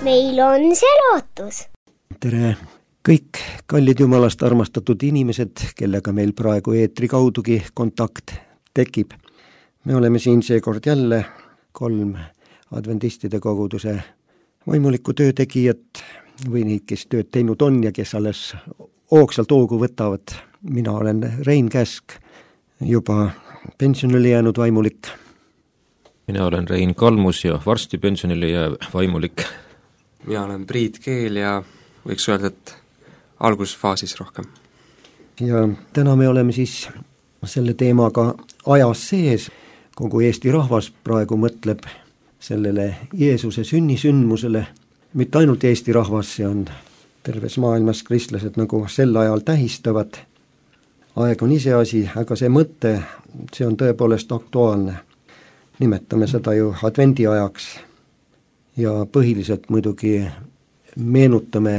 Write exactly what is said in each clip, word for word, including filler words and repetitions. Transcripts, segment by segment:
meil on see lootus. Tere kõik kallid Jumalast armastatud inimesed, kellega meil praegu eetri kaudugi kontakt tekib. Me oleme siin seekord jälle kolm adventistide koguduse vaimuliku töötegijat või neid, kes tööd teinud on ja kes alles hoogsalt hoogu võtavad. Mina olen Rein Käsk, juba pensionile jäänud vaimulik. Mina olen Rein Kalmus ja varsti pensionile jääv vaimulik. Mina olen Priit Keel ja võiks öelda, et algusfaasis rohkem. Ja täna me oleme siis selle teemaga ajas sees. Kogu Eesti rahvas praegu mõtleb sellele Jeesuse sünnisündmusele. Mitte ainult Eesti rahvas, see on terves maailmas kristlased nagu sel ajal tähistavad. Aeg on ise asi, aga see mõte, see on tõepoolest aktuaalne. Nimetame seda ju advendi ajaks ja põhiliselt muidugi meenutame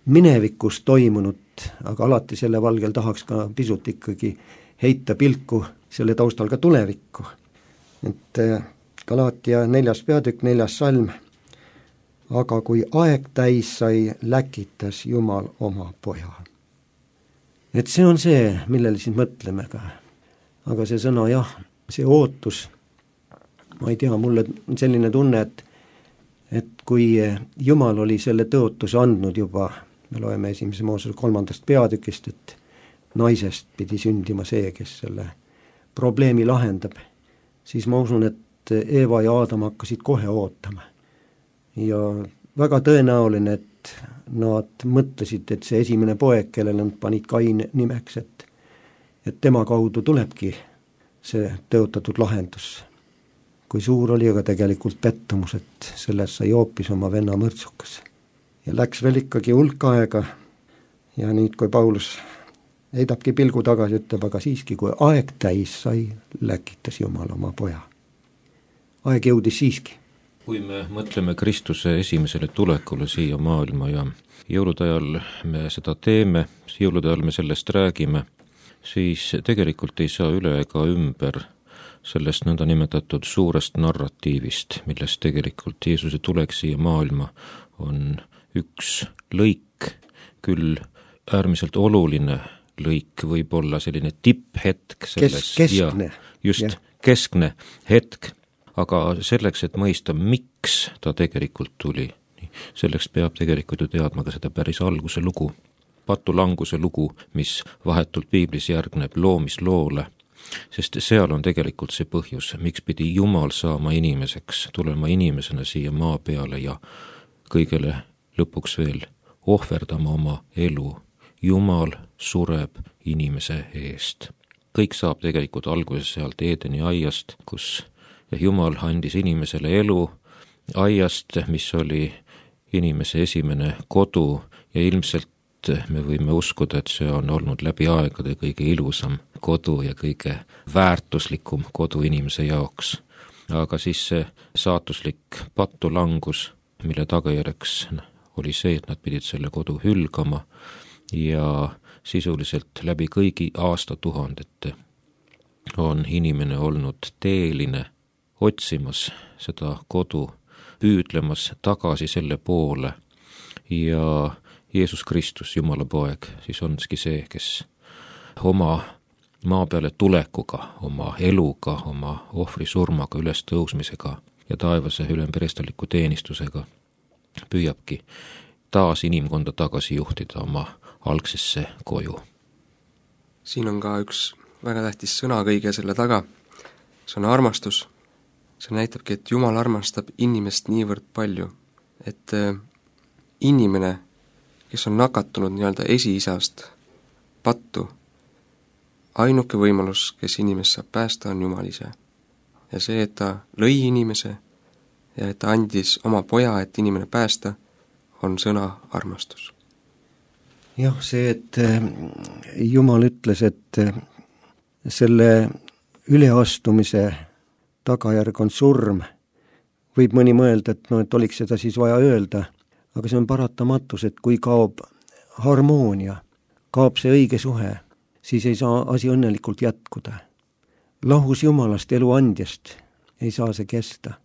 minevikus toimunut, aga alati selle valgel tahaks ka pisut ikkagi heita pilku selle taustal ka tulevikku. Et Galaatia neljas peatükk, neljas salm, aga kui aeg täis sai, läkitas Jumal oma poja. Et see on see, millele siin mõtleme ka. Aga see sõna jah, see ootus, ma ei tea, mulle on selline tunne, et, et kui Jumal oli selle tõotuse andnud juba, me loeme esimese Moosese kolmandast peatükist, et naisest pidi sündima see, kes selle probleemi lahendab, siis ma usun, et Eeva ja Aadam hakkasid kohe ootama. Ja väga tõenäoline, et nad mõtlesid, et see esimene poeg, kellele nad panid Kain nimeks, et, et tema kaudu tulebki see tõotatud lahendus. Kui suur oli aga tegelikult pettumus, et sellest sai hoopis oma venna mõrtsukas. Ja läks veel ikkagi hulk aega ja nüüd, kui Paulus heidabki pilgu tagasi, ütleb, aga siiski, kui aeg täis sai, läkitas Jumal oma poja. Aeg jõudis siiski. Kui me mõtleme Kristuse esimesele tulekule siia maailma ja jõulude ajal me seda teeme, jõulude ajal me sellest räägime, siis tegelikult ei saa üle ega ümber sellest nõnda nimetatud suurest narratiivist, millest tegelikult Jeesuse tulek siia maailma on üks lõik, küll äärmiselt oluline lõik, võib olla selline tipphetk selles. Kes, keskne. Ja, just, ja. Keskne hetk. Aga selleks, et mõista, miks ta tegelikult tuli, selleks peab tegelikult ju teadma ka seda päris alguse lugu. Patulanguse lugu, mis vahetult piiblis järgneb loomisloole, sest seal on tegelikult see põhjus, miks pidi Jumal saama inimeseks, tulema inimesena siia maa peale ja kõigele lõpuks veel ohverdama oma elu. Jumal sureb inimese eest. Kõik saab tegelikult alguses sealt Eedeni aiast, kus ja Jumal andis inimesele elu aiast, mis oli inimese esimene kodu ja ilmselt me võime uskuda, et see on olnud läbi aegade kõige ilusam kodu ja kõige väärtuslikum kodu inimese jaoks. Aga siis see saatuslik patulangus, mille tagajärjeks oli see, et nad pidid selle kodu hülgama ja sisuliselt läbi kõigi aastatuhandete on inimene olnud teeline, otsimas seda kodu, püüdlemas tagasi selle poole ja Jeesus Kristus, Jumala poeg, siis onski see, kes oma maa peale tulekuga, oma eluga, oma ohvri surmaga, üles tõusmisega ja taevase ülemperestaliku teenistusega püüabki taas inimkonda tagasi juhtida oma algsesse koju. Siin on ka üks väga tähtis sõna kõige selle taga, see on armastus. See näitabki, et Jumal armastab inimest niivõrd palju, et inimene, kes on nakatunud nii-öelda esiisast pattu, ainuke võimalus, kes inimest saab päästa, on Jumal ise. Ja see, et ta lõi inimese ja et ta andis oma poja, et inimene päästa, on sõna armastus. Jah, see, et Jumal ütles, et selle üleastumise tagajärg on surm, võib mõni mõelda, et, no, et oliks seda siis vaja öelda, aga see on paratamatus, et kui kaob harmoonia, kaob see õige suhe, siis ei saa asi õnnelikult jätkuda. Lahus Jumalast elu andjast ei saa see kesta.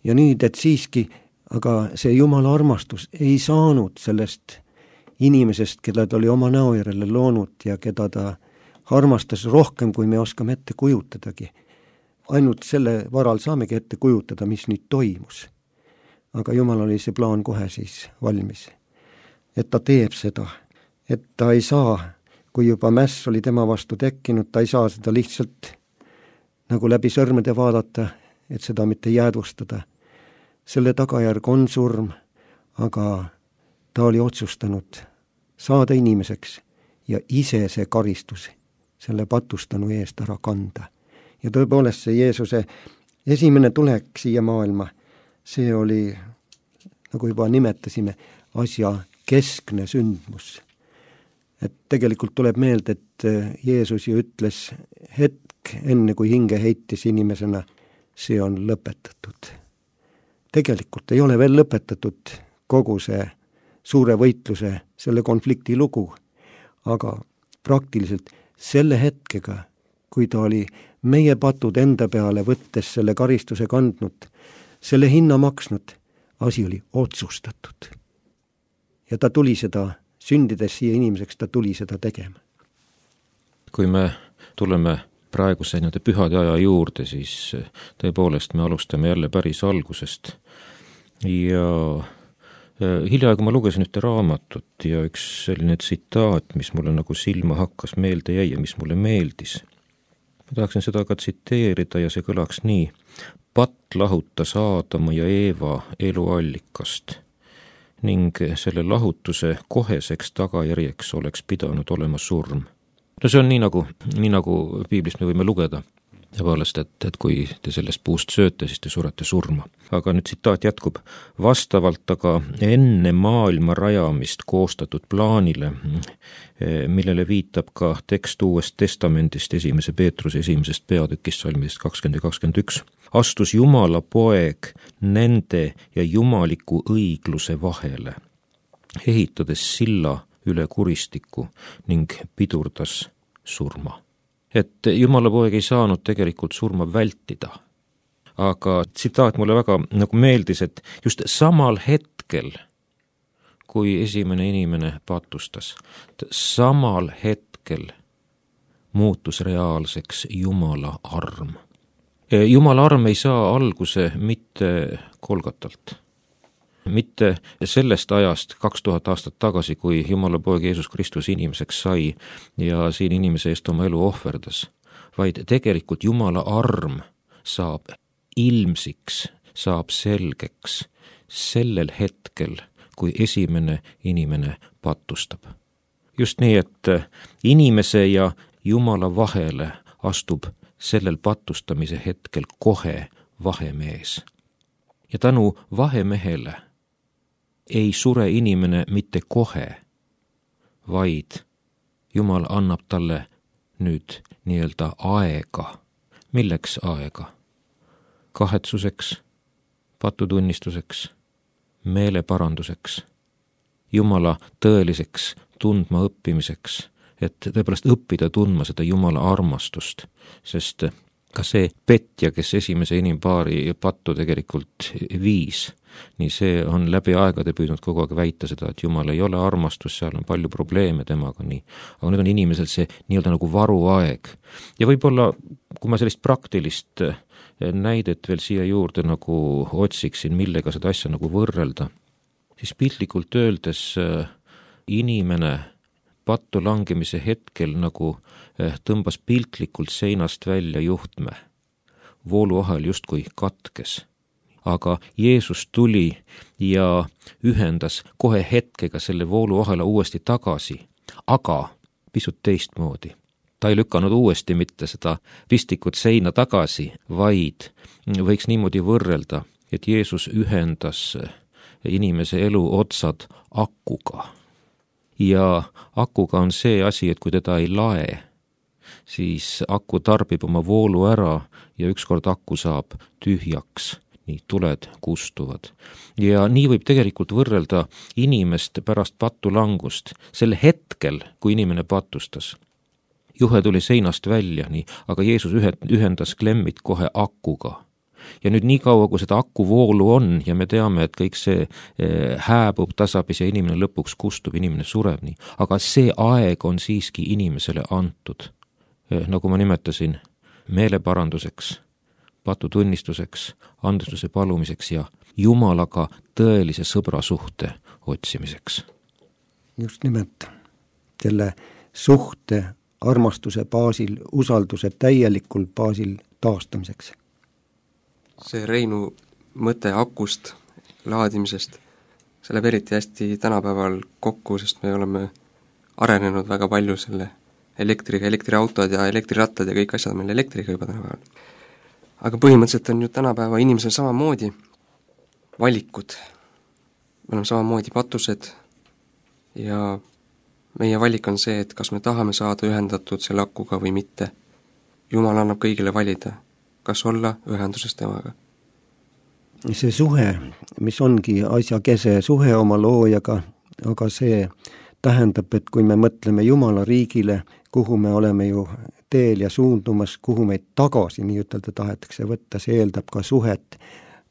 Ja nüüd, et siiski aga see Jumala armastus ei saanud sellest inimesest, keda ta oli oma näo järele loonud ja keda ta armastas rohkem, kui me oskame ette kujutadagi. Ainult selle varal saamegi ette kujutada, mis nüüd toimus. Aga Jumal oli see plaan kohe siis valmis. Et ta teeb seda, et ta ei saa, kui juba mäss oli tema vastu tekkinud, ta ei saa seda lihtsalt nagu läbi sõrmede vaadata, et seda mitte jäädvustada. Selle tagajärg on surm, aga ta oli otsustanud saada inimeseks ja ise see karistus selle patustanu eest ära kanda. Ja tõepoolest see Jeesuse esimene tulek siia maailma, see oli, nagu juba nimetasime, asja keskne sündmus. Et tegelikult tuleb meelde, et Jeesus ju ütles hetk enne, kui hinge heitis inimesena, see on lõpetatud. Tegelikult ei ole veel lõpetatud kogu see suure võitluse, selle konflikti lugu, aga praktiliselt selle hetkega, kui ta oli meie patud enda peale võttes selle karistuse kandnud, selle hinna maksnud, asi oli otsustatud. Ja ta tuli seda, sündides siia inimeseks, ta tuli seda tegema. Kui me tuleme praeguse nende pühade aja juurde, siis tõepoolest me alustame jälle päris algusest. Ja hiljaaegu ma lugesin ühte raamatut ja üks selline tsitaat, mis mulle nagu silma hakkas, meelde jäi ja mis mulle meeldis. Ma tahaksin seda ka tsiteerida ja see kõlaks nii. Patt lahutas Aadama ja Eeva eluallikast ning selle lahutuse koheseks tagajärjeks oleks pidanud olema surm. No see on nii nagu, nii nagu piiblist me võime lugeda. Ja poolest, et, et kui te sellest puust sööte, siis te surete surma. Aga nüüd tsitaat jätkub. Vastavalt aga enne maailma rajamist koostatud plaanile, millele viitab ka tekst Uuest Testamendist esimese Peetruse esimesest peatükist salmist kakskümmend ja kakskümmend üks, astus Jumala poeg nende ja jumaliku õigluse vahele, ehitades silla üle kuristiku ning pidurdas surma. Et Jumala poeg ei saanud tegelikult surma vältida. Aga tsitaat mulle väga nagu meeldis, et just samal hetkel, kui esimene inimene patustas, samal hetkel muutus reaalseks Jumala arm. Jumala arm ei saa alguse mitte Kolgatalt. Mitte sellest ajast kaks tuhat aastat tagasi, kui Jumala poeg Jeesus Kristus inimeseks sai ja siin inimese eest oma elu ohverdas, vaid tegelikult Jumala arm saab ilmsiks, saab selgeks sellel hetkel, kui esimene inimene patustab. Just nii, et inimese ja Jumala vahele astub sellel patustamise hetkel kohe vahemees. Ja tänu vahemehele ei sure inimene mitte kohe, vaid Jumal annab talle nüüd nii-öelda aega. Milleks aega? Kahetsuseks, patutunnistuseks, meeleparanduseks, Jumala tõeliseks tundma õppimiseks, et tõepoolest õppida tundma seda Jumala armastust, sest ka see petja, kes esimese inimpaari pattu tegelikult viis, nii see on läbi aegade püüdnud kogu aeg väita seda, et Jumal ei ole armastus, seal on palju probleeme temaga, nii. Aga nüüd on inimesel see nii-öelda nagu varuaeg. Ja võib-olla, kui ma sellist praktilist näidet veel siia juurde nagu otsiksin, millega seda asja nagu võrrelda, siis piltlikult öeldes inimene pattu langemise hetkel nagu tõmbas piltlikult seinast välja juhtme. Vooluahel justkui katkes. Aga Jeesus tuli ja ühendas kohe hetkega selle vooluahela uuesti tagasi, aga pisut teistmoodi. Ta ei lükanud uuesti mitte seda pistikut seina tagasi, vaid võiks niimoodi võrrelda, et Jeesus ühendas inimese elu otsad akuga. Ja akuga on see asi, et kui teda ei lae, siis aku tarbib oma voolu ära ja ükskord aku saab tühjaks. Nii tuled kustuvad. Ja nii võib tegelikult võrrelda inimest pärast patulangust. Sel hetkel, kui inimene patustas, juhe tuli seinast välja, nii, aga Jeesus ühendas klemmid kohe akuga. ja nüüd nii kaua, kui seda akuvoolu on ja me teame, et kõik see hääbub tasapisi ja inimene lõpuks kustub, inimene sureb nii, aga see aeg on siiski inimesele antud, nagu ma nimetasin, meeleparanduseks, patutunnistuseks, andestuse palumiseks ja Jumalaga tõelise sõbrasuhte otsimiseks. Just nimelt selle suhte, armastuse baasil, usalduse täielikul baasil taastamiseks. See Reinu mõte akust, laadimisest, see läheb eriti hästi tänapäeval kokku, sest me oleme arenenud väga palju selle elektriga, elektriautod ja elektrirattad ja kõik asjad on meil elektriga juba tänapäeval. Aga põhimõtteliselt on ju tänapäeva inimesel samamoodi valikud. Me oleme samamoodi patused ja meie valik on see, et kas me tahame saada ühendatud selle akuga või mitte. Jumal annab kõigile valida, kas olla ühenduses temaga. See suhe, mis ongi asja kese, suhe oma loojaga, aga see tähendab, et kui me mõtleme Jumala riigile, kuhu me oleme ju teel ja suundumas, kuhu meid tagasi nii ütelda tahetakse võtta, see eeldab ka suhet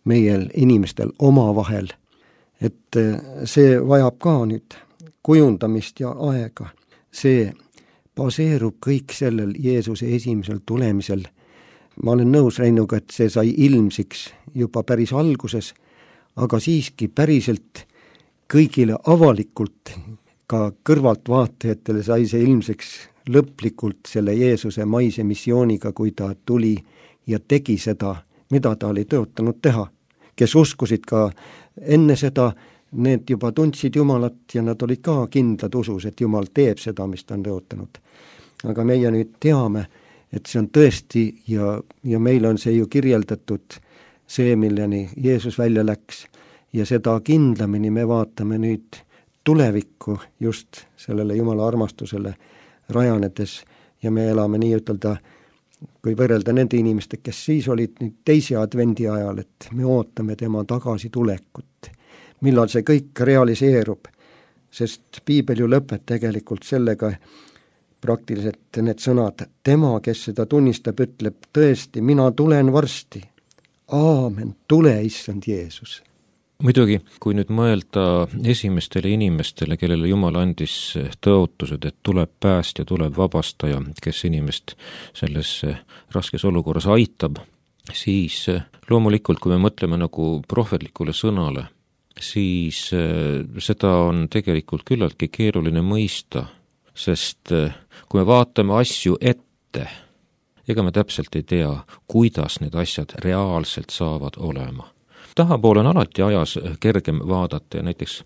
meie inimestel omavahel. Et see vajab ka nüüd kujundamist ja aega. See baseerub kõik sellel Jeesuse esimesel tulemisel. Ma olen nõus Reinuga, et see sai ilmsiks juba päris alguses, aga siiski päriselt kõigile avalikult, ka kõrvaltvaatajatele sai see ilmsiks lõplikult selle Jeesuse maise missiooniga, kui ta tuli ja tegi seda, mida ta oli tõotanud teha. Kes uskusid ka enne seda, need juba tundsid Jumalat ja nad olid ka kindlad usus, et Jumal teeb seda, mis ta on tõotanud. Aga meie nüüd teame, et see on tõesti ja, ja meil on see ju kirjeldatud, see, milleni Jeesus välja läks ja seda kindlamini me vaatame nüüd tulevikku just sellele Jumala armastusele rajanedes ja me elame nii ütelda, kui võrrelda nende inimeste, kes siis olid nüüd teise advendi ajal, et me ootame tema tagasi tulekut. Millal see kõik realiseerub, sest piibel ju lõpeb tegelikult sellega praktiliselt need sõnad, tema, kes seda tunnistab, ütleb tõesti, mina tulen varsti. Aamen, tule, issand Jeesus. Muidugi, kui nüüd mõelda esimestele inimestele, kellele Jumal andis tõotused, et tuleb päästja, tuleb vabastaja, kes inimest selles raskes olukorras aitab, siis loomulikult, kui me mõtleme nagu prohvetlikule sõnale, siis seda on tegelikult küllaltki keeruline mõista, sest kui me vaatame asju ette, ega me täpselt ei tea, kuidas need asjad reaalselt saavad olema. Tahapoole on alati ajas kergem vaadata ja näiteks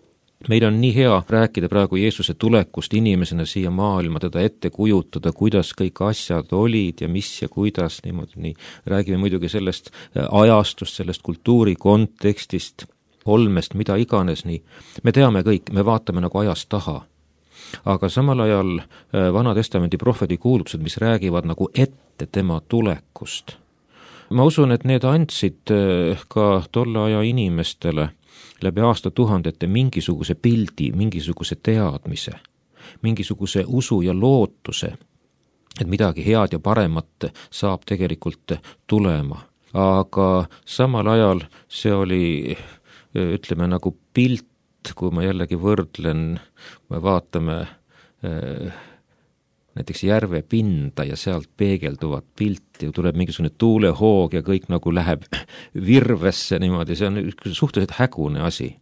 meil on nii hea rääkida praegu Jeesuse tulekust inimesena siia maailma, teda ette kujutada, kuidas kõik asjad olid ja mis ja kuidas niimoodi, nii räägime muidugi sellest ajastust, sellest kultuuri kontekstist, olmest, mida iganes, nii me teame kõik, me vaatame nagu ajas taha. Aga samal ajal Vana Testamendi prohveti kuulutused, mis räägivad nagu ette tema tulekust. Ma usun, et need andsid ka tolle aja inimestele läbi aastatuhandete mingisuguse pildi, mingisuguse teadmise, mingisuguse usu ja lootuse, et midagi head ja paremat saab tegelikult tulema. Aga samal ajal see oli, ütleme, nagu pilt, kui ma jällegi võrdlen, me vaatame näiteks järve pinda ja sealt peegelduvat pilti, tuleb mingisugune tuulehoog ja kõik nagu läheb virvesse niimoodi, see on suhteliselt hägune asi.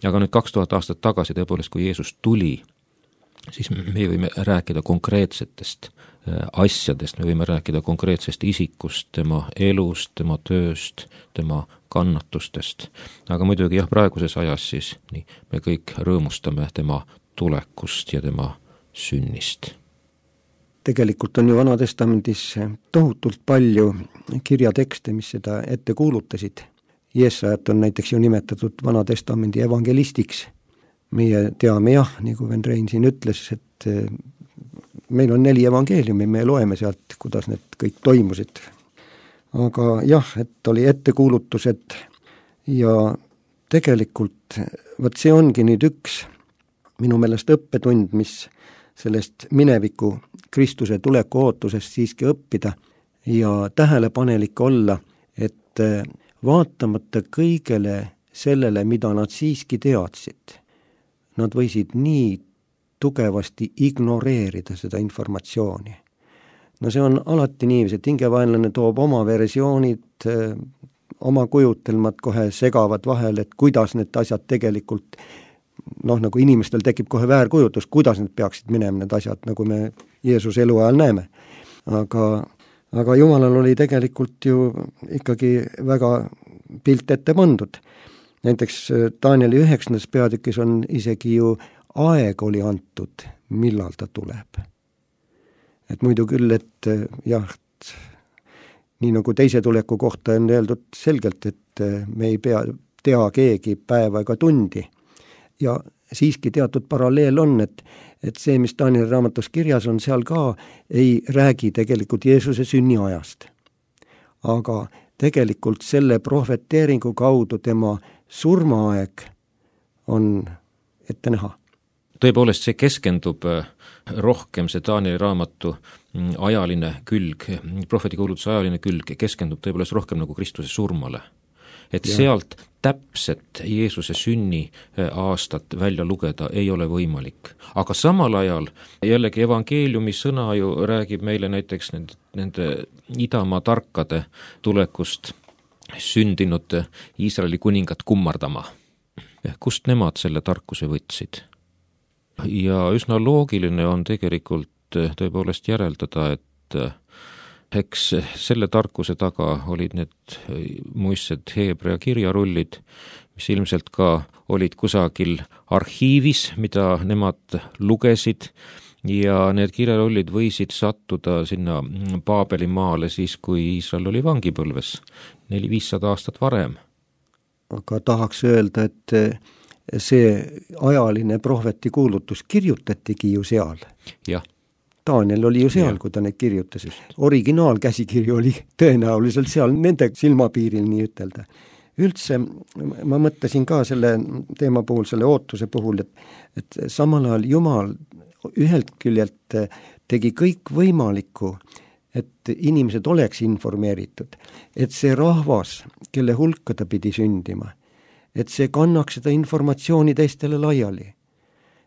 Aga nüüd kaks tuhat aastat tagasi tõepoolest, kui Jeesus tuli, siis me võime rääkida konkreetsetest asjadest, me võime rääkida konkreetsest isikust, tema elust, tema tööst, tema kannatustest. Aga muidugi jah, praeguses ajas siis nii, me kõik rõõmustame tema tulekust ja tema sünnist. Tegelikult on ju Vana Testamendis tohutult palju kirjatekste, mis seda ette kuulutasid. Jeesajat on näiteks ju nimetatud Vana Testamendi evangelistiks. Meie teame jah, nagu Ven Rein siin ütles, et meil on neli evangeeliumi, me loeme sealt, kuidas need kõik toimusid. Aga jah, et oli ettekuulutused ja tegelikult võt see ongi nüüd üks minu meelest õppetund, mis sellest mineviku Kristuse tuleku ootusest siiski õppida ja tähelepanelik olla, et et vaatamata kõigele sellele, mida nad siiski teadsid, nad võisid nii tugevasti ignoreerida seda informatsiooni. No see on alati niiviisi, et hingevaenlane toob oma versioonid, oma kujutelmad kohe segavad vahel, et kuidas need asjad tegelikult, noh, nagu inimestel tekib kohe väärkujutus, kuidas need peaksid minema need asjad, nagu me Jeesuse eluajal näeme. Aga, aga Jumalal oli tegelikult ju ikkagi väga pilt ette pandud. Näiteks Danieli üheksandas peatükis on isegi ju aeg oli antud, millal ta tuleb. Et muidu küll, et jah, nii nagu teise tuleku kohta on öeldud selgelt, et me ei pea tea keegi päeva ega tundi. Ja siiski teatud paralleel on, et, et see, mis Danieli raamatus kirjas on, seal ka ei räägi tegelikult Jeesuse sünniajast. Aga tegelikult selle prohveteeringu kaudu tema surmaaeg on ette näha. Tõepoolest, see keskendub rohkem, see Danieli raamatu ajaline külg, prohvetikuulutuse ajaline külg keskendub tõepoolest rohkem nagu Kristuse surmale. Et ja. Sealt täpset Jeesuse sünni aastat välja lugeda ei ole võimalik. Aga samal ajal jällegi evangeeliumi sõna ju räägib meile näiteks nende, nende idamaa tarkade tulekust sündinud Iisraeli kuningat kummardama. Kust nemad selle tarkuse võtsid? Ja üsna loogiline on tegelikult tõepoolest järeldada, et eks selle tarkuse taga olid need muistsed Heebrea kirjarullid, mis ilmselt ka olid kusagil arhiivis, mida nemad lugesid, ja need kirjarullid võisid sattuda sinna Paabeli maale siis, kui Iisrael oli vangipõlves neli-viissada aastat varem. Aga tahaks öelda, et see ajaline prohveti kuulutus kirjutatigi ju seal. Jah. Daniel oli ju seal, ja. Kui ta neid kirjutas. Originaalkäsikirju oli tõenäoliselt seal nende silmapiiril, nii ütelda. Üldse ma mõtlesin ka selle teema puhul, selle ootuse puhul, et, et samal ajal Jumal ühelt küljelt tegi kõik võimalikku, et inimesed oleks informeeritud, et see rahvas, kelle hulka ta pidi sündima, et see kannaks seda informatsiooni teistele laiali,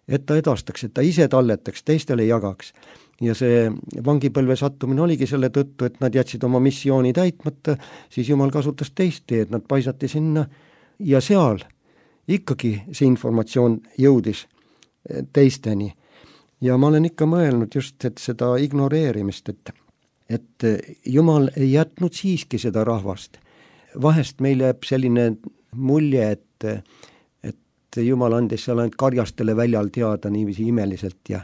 et ta edastaks, et ta ise talletaks, teistele jagaks. Ja see vangipõlve sattumine oligi selle tõttu, et nad jätsid oma missiooni täitmata, siis Jumal kasutas teist teed, nad paisati sinna ja seal ikkagi see informatsioon jõudis teisteni. Ja ma olen ikka mõelnud just, et seda ignoreerimist, et, et Jumal ei jätnud siiski seda rahvast. Vahest meil jääb selline mulje, et, et Jumal andis seal ainult karjastele väljal teada niiviisi imeliselt ja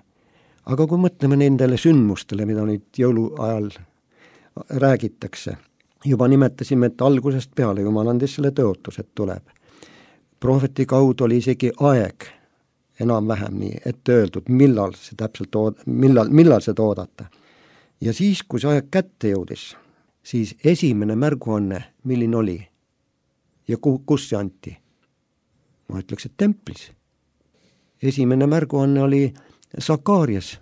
aga kui mõtleme nendele sündmustele, mida nüüd jõuluajal räägitakse, juba nimetasime, et algusest peale Jumal andis selle tõotus, et tuleb. Prohveti kaudu oli isegi aeg enam-vähem nii ette öeldud, millal see täpselt ood-, millal, millal seda oodata. Ja siis, kui see aeg kätte jõudis, siis esimene märguanne, milline oli ja ku, kus see anti? Ma ütleks, et templis. Esimene märguanne oli Sakarias,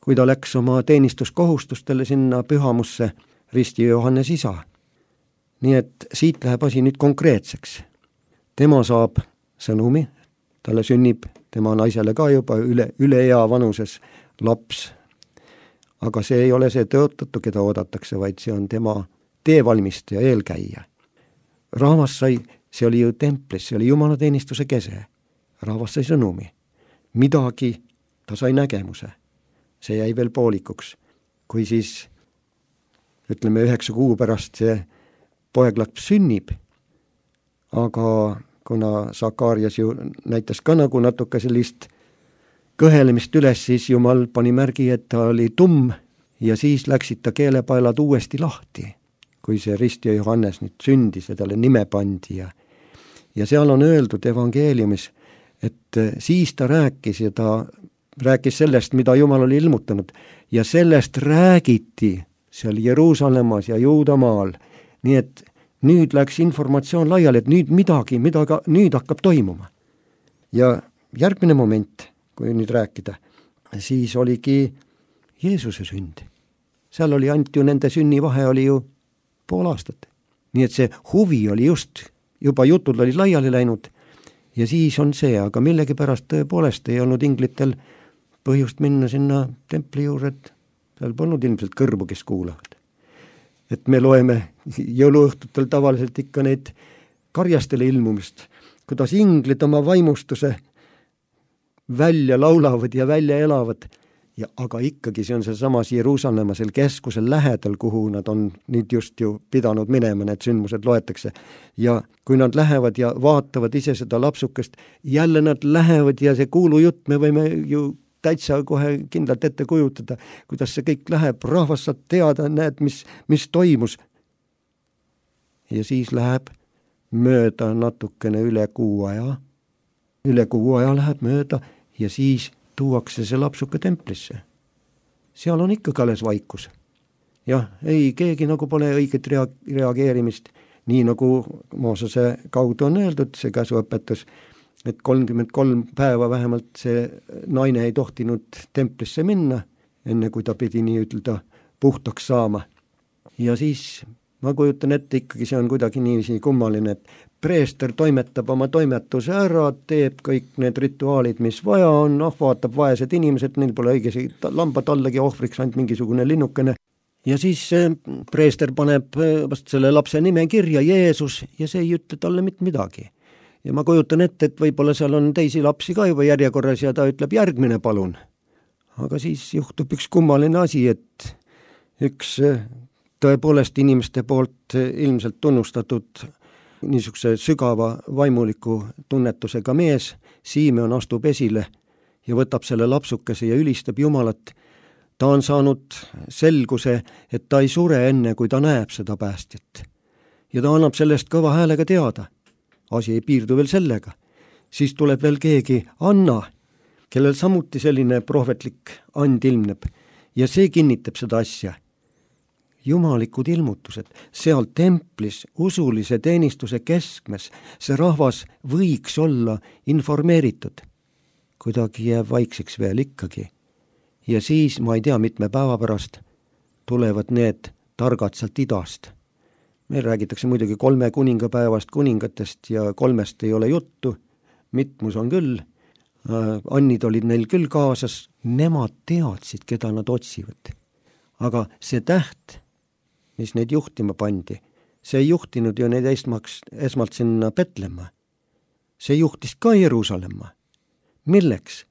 kui ta läks oma teenistuskohustustele sinna pühamusse risti Johannes isa. Nii et siit läheb asi nüüd konkreetseks. Tema saab sõnumi, talle sünnib tema naisele ka juba üle, üle ea vanuses laps. Aga see ei ole see tõotatu, keda oodatakse, vaid see on tema teevalmistaja, eelkäija. Rahvas sai, see oli ju templis, see oli Jumala teenistuse kese. Rahvas sai sõnumi. Midagi ta sai nägemuse. See jäi veel poolikuks. Kui siis, ütleme, üheksa kuu pärast see poeglaps sünnib, aga kuna Sakarias ju näitas ka nagu natuke sellist kõhelemist üles, siis Jumal pani märgi, et ta oli tumm ja siis läksid ta keelepaelad uuesti lahti, kui see ristja Johannes nüüd sündis ja talle nime pandi. Ja, ja seal on öeldud evangeeliumis, et siis ta rääkis ja ta rääkis sellest, mida Jumal oli ilmutanud ja sellest räägiti seal Jeruusalemmas ja Juudamaal, nii et nüüd läks informatsioon laiali, et nüüd midagi, midagi, nüüd hakkab toimuma. Ja järgmine moment, kui nüüd rääkida, siis oligi Jeesuse sünd. Seal oli ainult ju nende sünnivahe oli ju pool aastat. nii et see huvi oli just, juba jutud olid laiali läinud ja siis on see, aga millegipärast tõepoolest ei olnud inglitel põhjust minna sinna templi juurde, et seal polnud ilmselt kõrvu, kes kuulavad. Et me loeme jõuluõhtutel tavaliselt ikka neid karjastele ilmumist, kuidas inglid oma vaimustuse välja laulavad ja välja elavad, ja aga ikkagi see on see samas Jeruusalemma seal keskusel lähedal, kuhu nad on nüüd just ju pidanud minema, need sündmused loetakse. Ja kui nad lähevad ja vaatavad ise seda lapsukest, jälle nad lähevad ja see kuulujutt, me võime ju täitsa kohe kindlalt ette kujutada, kuidas see kõik läheb, rahvas saab teada, näed, mis, mis toimus. Ja siis läheb mööda natukene üle kuu aja, üle kuu aja läheb mööda ja siis tuuakse see lapsuke templisse. Seal on ikka alles vaikus. Jah, ei, keegi nagu pole õiget rea- reageerimist, nii nagu Moosese kaudu on öeldud, see käsuõpetus, et kolmkümmend kolm päeva vähemalt see naine ei tohtinud templisse minna, enne kui ta pidi nii ütelda puhtaks saama. Ja siis ma kujutan ette, ikkagi see on kuidagi niiviisi kummaline, et preester toimetab oma toimetuse ära, teeb kõik need rituaalid, mis vaja on, noh, vaatab vaesed inimesed, neil pole õigesi lambad allagi ohvriks, ainult mingisugune linnukene. Ja siis preester paneb vast selle lapse nime kirja, Jeesus, ja see ei ütle talle mitte midagi. Ja ma kujutan ette, et võib-olla seal on teisi lapsi ka juba järjekorras ja ta ütleb järgmine palun. Aga siis juhtub üks kummaline asi, et üks tõepoolest inimeste poolt ilmselt tunnustatud niisuguse sügava vaimuliku tunnetusega mees, Simeon astub esile ja võtab selle lapsukese ja ülistab Jumalat. Ta on saanud selguse, et ta ei sure enne, kui ta näeb seda päästjat. Ja ta annab sellest kõva häälega teada. Asi ei piirdu veel sellega. Siis tuleb veel keegi, Anna, kellel samuti selline prohvetlik and ilmneb ja see kinnitab seda asja. Jumalikud ilmutused, seal templis, usulise teenistuse keskmes, see rahvas võiks olla informeeritud. Kuidagi jääb vaikseks veel ikkagi. Ja siis, ma ei tea, mitme päeva pärast tulevad need targad sealt idast. Meil räägitakse muidugi kolme kuningapäevast kuningatest ja kolmest ei ole juttu, mitmus on küll, annid olid neil küll kaasas, nemad teadsid, keda nad otsivad. Aga see täht, mis neid juhtima pandi, see ei juhtinud ju neid esmaks, esmalt sinna Petlemma. See juhtis ka Jeruusalemma. Milleks?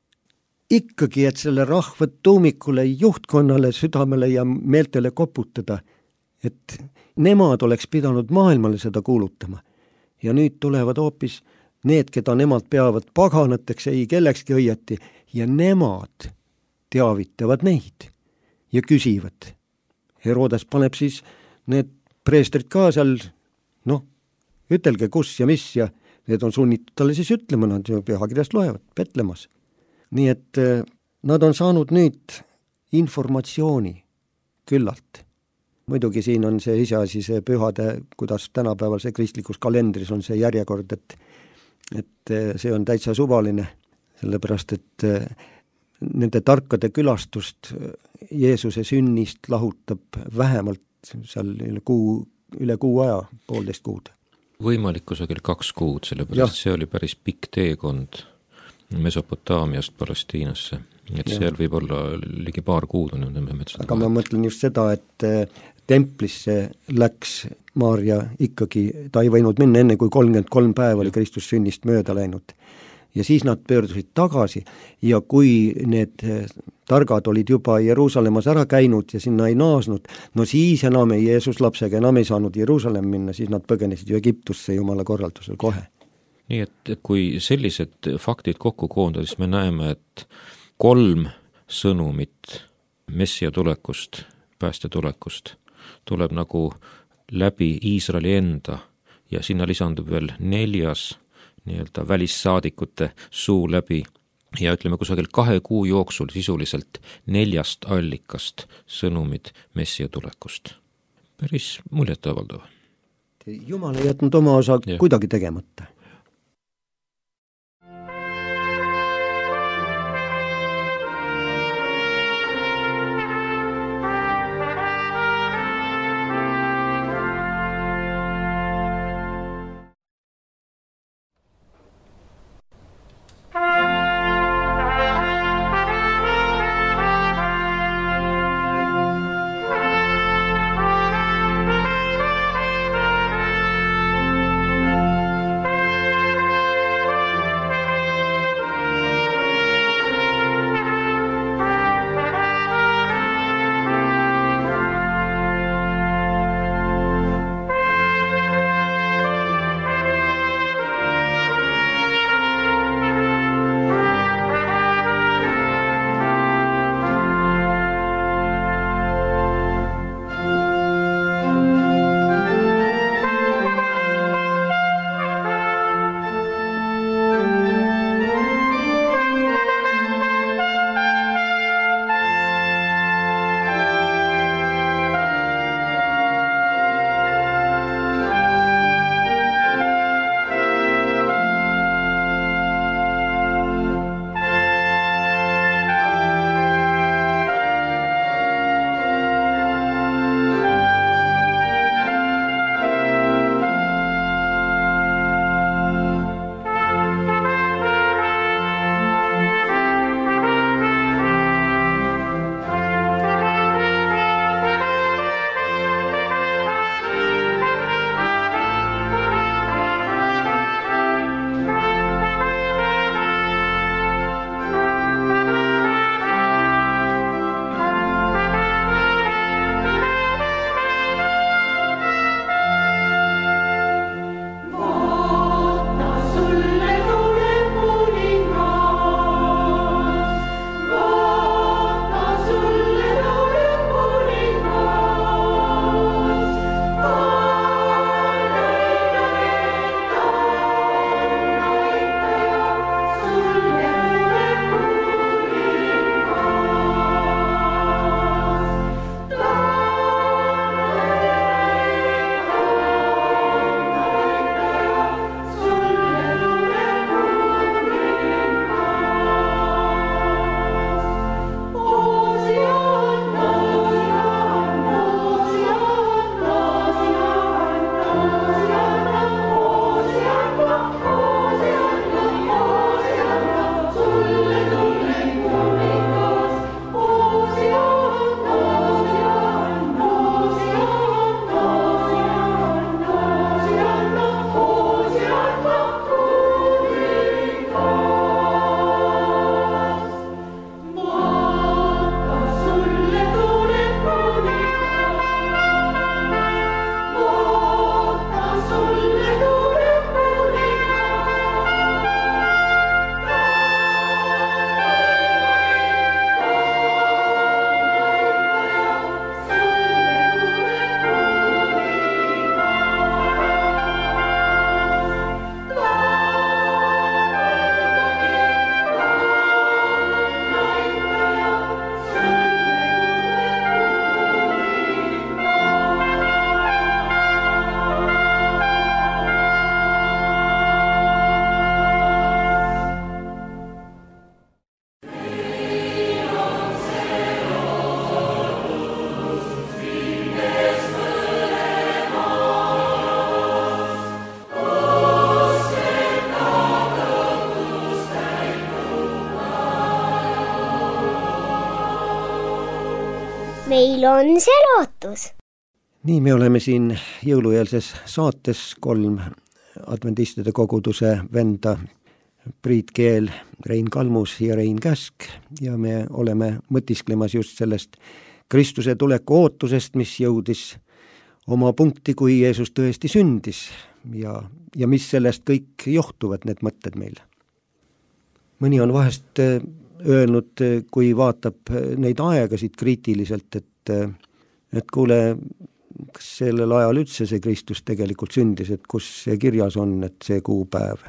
Ikkagi, et selle rahva tuumikule, juhtkonnale, südamele ja meeltele koputada, et nemad oleks pidanud maailmale seda kuulutama. Ja nüüd tulevad hoopis need, keda nemad peavad paganateks, ei kellekski õieti, ja nemad teavitavad neid ja küsivad. Herodes paneb siis need preestrid ka seal, noh, ütelge kus ja mis ja need on sunnitud talle siis ütlema, nad ju pühakirjast loevad, Petlemas. Nii et nad on saanud nüüd informatsiooni küllalt. Muidugi siin on see iseasi, see pühade, kuidas tänapäeval see kristlikus kalendris on see järjekord, et, et see on täitsa suvaline, sellepärast et nende tarkade külastust Jeesuse sünnist lahutab vähemalt seal üle kuu, üle kuu aja, poolteist kuud. Võimalikku sageli kaks kuud, sellepärast see oli päris pikk teekond Mesopotaamiast Palestiinasse, et ja. Seal võib olla ligi paar kuud on metsada. Aga ma mõtlen just seda, et templisse läks Maarja ikkagi, ta ei võinud minna enne, kui kolmkümmend kolm päeva oli Kristus sünnist mööda läinud. Ja siis nad pöördusid tagasi ja kui need targad olid juba Jeruusalemmas ära käinud ja sinna ei naasnud, no siis enam ei Jeesus lapsega enam ei saanud Jeruusalemm minna, siis nad põgenesid ju Egiptusse Jumala korraldusel kohe. Nii et kui sellised faktid kokku koondada, siis me näeme, et kolm sõnumit Messia tulekust, päästja tulekust tuleb nagu läbi Iisraeli enda ja sinna lisandub veel neljas nii-öelda välissaadikute suu läbi ja ütleme kusagil kahe kuu jooksul sisuliselt neljast allikast sõnumid Messia tulekust. Päris muljetavaldav. Jumal ei jätnud oma osa ja. Kuidagi tegemata. meil on see lootus. nii, me oleme siin jõulueelses saates kolm adventistide koguduse venda, Priit Keel, Rein Kalmus ja Rein Käsk, ja me oleme mõtisklemas just sellest Kristuse tuleku ootusest, mis jõudis oma punkti, kui Jeesus tõesti sündis ja, ja mis sellest kõik johtuvad, need mõtted meil. Mõni on vahest öelnud, kui vaatab neid aegasid kriitiliselt, et, et kuule, kas sellel ajal üldse see Kristus tegelikult sündis, et kus see kirjas on, et see kuupäev.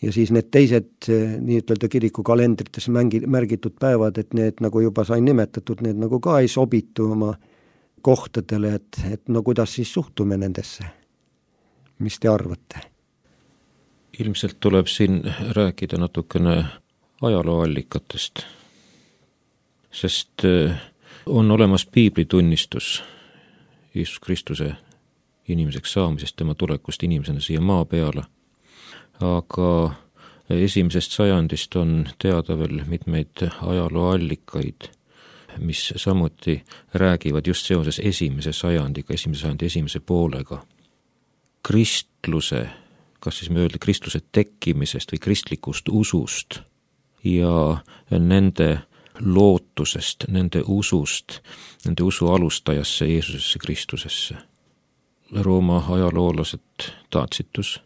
Ja siis need teised nii-ütelda kirikukalendrites mängi, märgitud päevad, et need, nagu juba sain nimetatud, need nagu ka ei sobitu oma kohtadele, et, et no kuidas siis suhtume nendesse? Mis te arvate? Ilmselt tuleb siin rääkida natukene ajalooallikatest, sest on olemas piiblitunnistus Jeesus Kristuse inimeseks saamisest, tema tulekust inimesena siia maa peale. Aga esimesest sajandist on teada veel mitmeid ajalooallikaid, mis samuti räägivad just seoses esimese sajandiga, esimese sajandi esimese poolega. Kristluse, kas siis me öelda kristluse tekkimisest või kristlikust usust ja nende lootusest, nende usust, nende usu alustajasse Jeesusesse Kristusesse. Rooma ajaloolased Tacitus,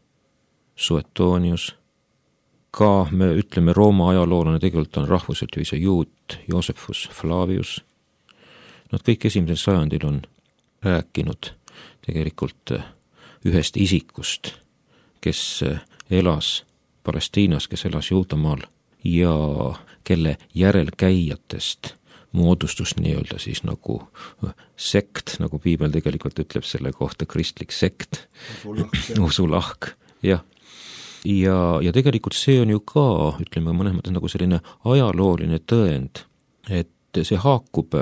Suetonius, ka me ütleme Rooma ajaloolane, tegelikult on rahvuselt ju ise juut, Josephus Flavius. Nad kõik esimesel sajandil on rääkinud tegelikult ühest isikust, kes elas Palestiinas, kes elas Juudamaal ja kelle järelkäijatest moodustus nii-öelda siis nagu sekt, nagu piibel tegelikult ütleb selle kohta, kristlik sekt, usulahk, jah. Ja, ja tegelikult see on ju ka, ütleme mõnes mõttes nagu selline ajalooline tõend, et see haakub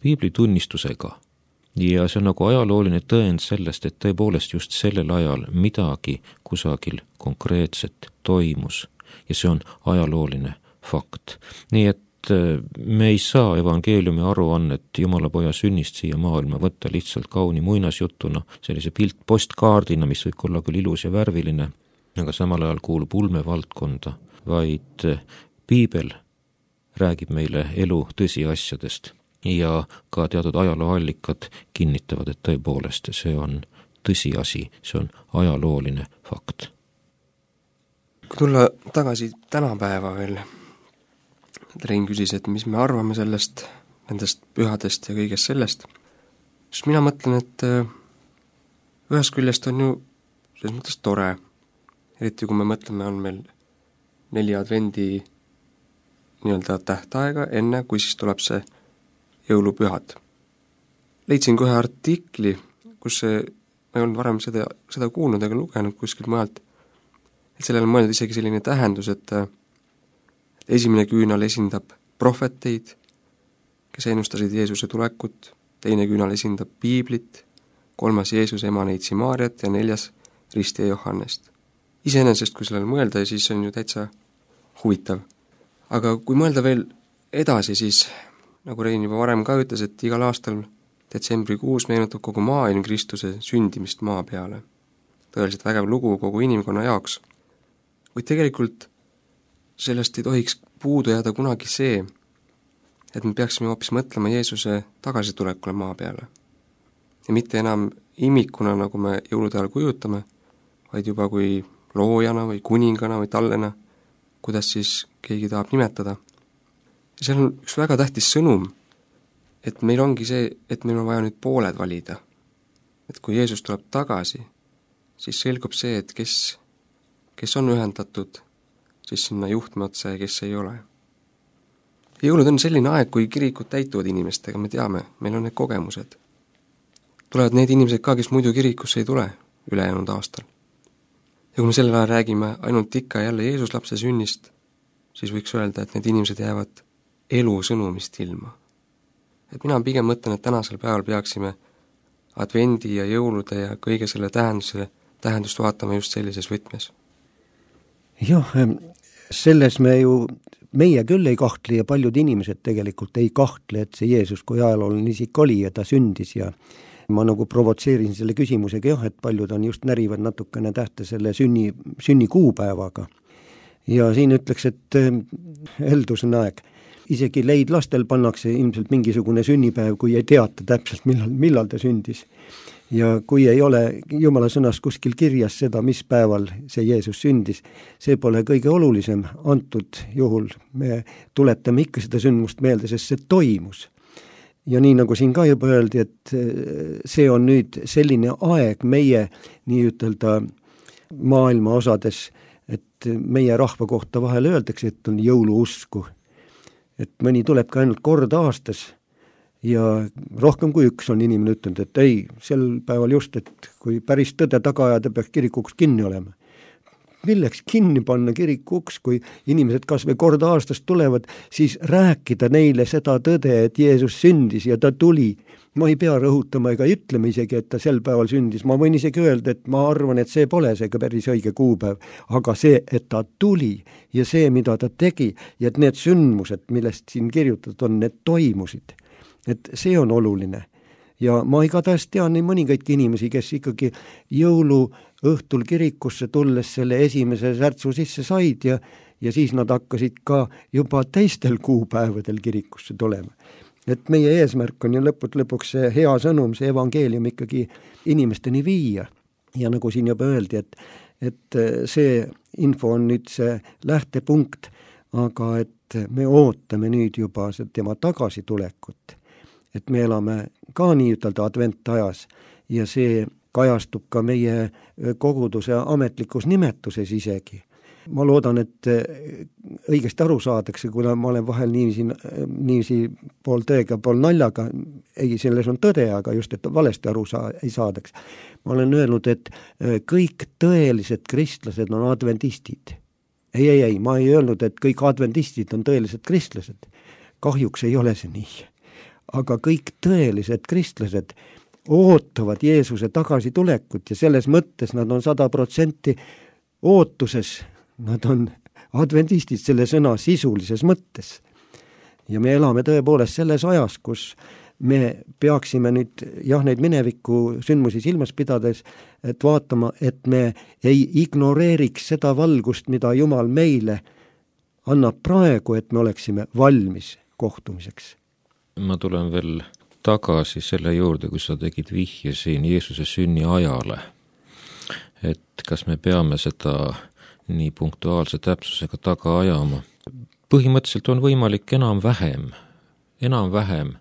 piibli tunnistusega ja see on nagu ajalooline tõend sellest, et tõepoolest just sellel ajal midagi kusagil konkreetset toimus ja see on ajalooline fakt. Nii et me ei saa evangeeliumi aruannet Jumala poja sünnist siia maailma võtta lihtsalt kauni muinasjutuna, sellise pilt postkaardina, mis võib olla küll ilus ja värviline, aga samal ajal kuulub ulmevaldkonda, vaid piibel räägib meile elu tõsiasjadest ja ka teatud ajalooallikad kinnitavad, et tõepoolest see on tõsiasi, see on ajalooline fakt. Kui tulla tagasi tänapäeva veel, Rein küsis, et mis me arvame sellest, nendest pühadest ja kõigest sellest, siis mina mõtlen, et ühest küljest on ju selles mõttes tore, eriti kui me mõtleme, on meil neli advendi nii-öelda tähtaega enne, kui siis tuleb see jõulupühad. Leidsin kohe artikli, kus see, ma ei olnud varem seda, seda kuulnud ega lugenud kuskilt maalt, et sellele on mõeldud isegi selline tähendus, et esimene küünal esindab prohveteid, kes ennustasid Jeesuse tulekut, teine küünal esindab piiblit, kolmas Jeesuse ema neitsi Maarjat ja neljas Ristija Johannest. Iseenesest, kui sellele mõelda, siis on ju täitsa huvitav. Aga kui mõelda veel edasi, siis nagu Rein juba varem ka ütles, et igal aastal detsembrikuus meenutab kogu maailm Kristuse sündimist maa peale. Tõeliselt vägev lugu kogu inimkonna jaoks. Kuid tegelikult sellest ei tohiks puudu jääda kunagi see, et me peaksime hoopis mõtlema Jeesuse tagasitulekule maa peale. Ja mitte enam imikuna, nagu me jõulude ajal kujutame, vaid juba kui loojana või kuningana või tallena, kuidas siis keegi tahab nimetada. Ja seal on üks väga tähtis sõnum, et meil ongi see, et meil on vaja nüüd pooled valida. Et kui Jeesus tuleb tagasi, siis selgub see, et kes, kes on ühendatud siis sinna juhtme otsa ja kes ei ole. Jõulud on selline aeg, kui kirikud täituvad inimestega, me teame, meil on need kogemused. Tulevad need inimesed ka, kes muidu kirikusse ei tule ülejäänud aastal. Ja kui me sellel ajal räägime ainult ikka jälle Jeesus lapse sünnist, siis võiks öelda, et need inimesed jäävad elu sõnumist ilma. Et mina pigem mõtlen, et tänasel päeval peaksime advendi ja jõulude ja kõige selle tähenduse, tähendust vaatama just sellises võtmes. Jah, selles me ju, meie küll ei kahtle ja paljud inimesed tegelikult ei kahtle, et see Jeesus kui ajalooline isik oli ja ta sündis ja ma nagu provotseerin selle küsimusega jah, et paljud on just närivad natukene tähte selle sünni, sünni kuupäevaga. Ja siin ütleks, et heldus on aeg. Isegi leidlastel pannakse ilmselt mingisugune sünnipäev, kui ei teata täpselt, millal, millal ta sündis. Ja kui ei ole Jumala sõnas kuskil kirjas seda, mis päeval see Jeesus sündis, see pole kõige olulisem antud juhul. Me tuletame ikka seda sündmust meelde, sest see toimus. Ja nii nagu siin ka juba öeldi, et see on nüüd selline aeg meie nii ütelda maailma osades, et meie rahva kohta vahel öeldakse, et on jõuluusku. Et mõni tuleb ka ainult kord aastas ja rohkem kui üks on inimene ütlenud, et ei, sel päeval just, et kui päris tõde taga ajada, peaks kirikuks kinni olema. Milleks kinni panna kirikuks, kui inimesed kas või kord aastast tulevad, siis rääkida neile seda tõde, et Jeesus sündis ja ta tuli. Ma ei pea rõhutama ega ütlema isegi, et ta sel päeval sündis. Ma võin isegi öelda, et ma arvan, et see pole see päris õige kuupäev, aga see, et ta tuli ja see, mida ta tegi ja et need sündmused, millest siin kirjutatud on, need toimusid. Et see on oluline. Ja ma igatahes tean nii mõningaidki inimesi, kes ikkagi jõulu õhtul kirikusse tulles selle esimese särtsu sisse said ja, ja siis nad hakkasid ka juba teistel kuupäevadel kirikusse tulema. Et meie eesmärk on ju lõput lõpuks see hea sõnum, see evangeelium ikkagi inimesteni viia. Ja nagu siin juba öeldi, et, et see info on nüüd see lähtepunkt, aga et me ootame nüüd juba tema tagasitulekut. Et me elame ka nii ütelda adventajas ja see kajastub ka meie koguduse ametlikus nimetuses isegi. Ma loodan, et õigesti aru saadakse, kuna ma olen vahel niiviisi, niiviisi pool tõega, pool naljaga, ei, selles on tõde, aga just, et valesti aru saa, ei saadaks. Ma olen öelnud, et kõik tõelised kristlased on adventistid. Ei, ei, ei, ma ei öelnud, et kõik adventistid on tõelised kristlased. Kahjuks ei ole see nii. Aga kõik tõelised kristlased ootavad Jeesuse tagasitulekut ja selles mõttes nad on sada protsenti ootuses, nad on adventistid selle sõna sisulises mõttes. Ja me elame tõepoolest selles ajas, kus me peaksime nüüd jah, neid mineviku sündmusi silmas pidades, et vaatama, et me ei ignoreeriks seda valgust, mida Jumal meile annab praegu, et me oleksime valmis kohtumiseks. Ma tulen veel tagasi selle juurde, kui sa tegid vihje siin Jeesuse sünni ajale. Et kas me peame seda nii punktuaalse täpsusega taga ajama. Põhimõtteliselt on võimalik enam-vähem, enam-vähem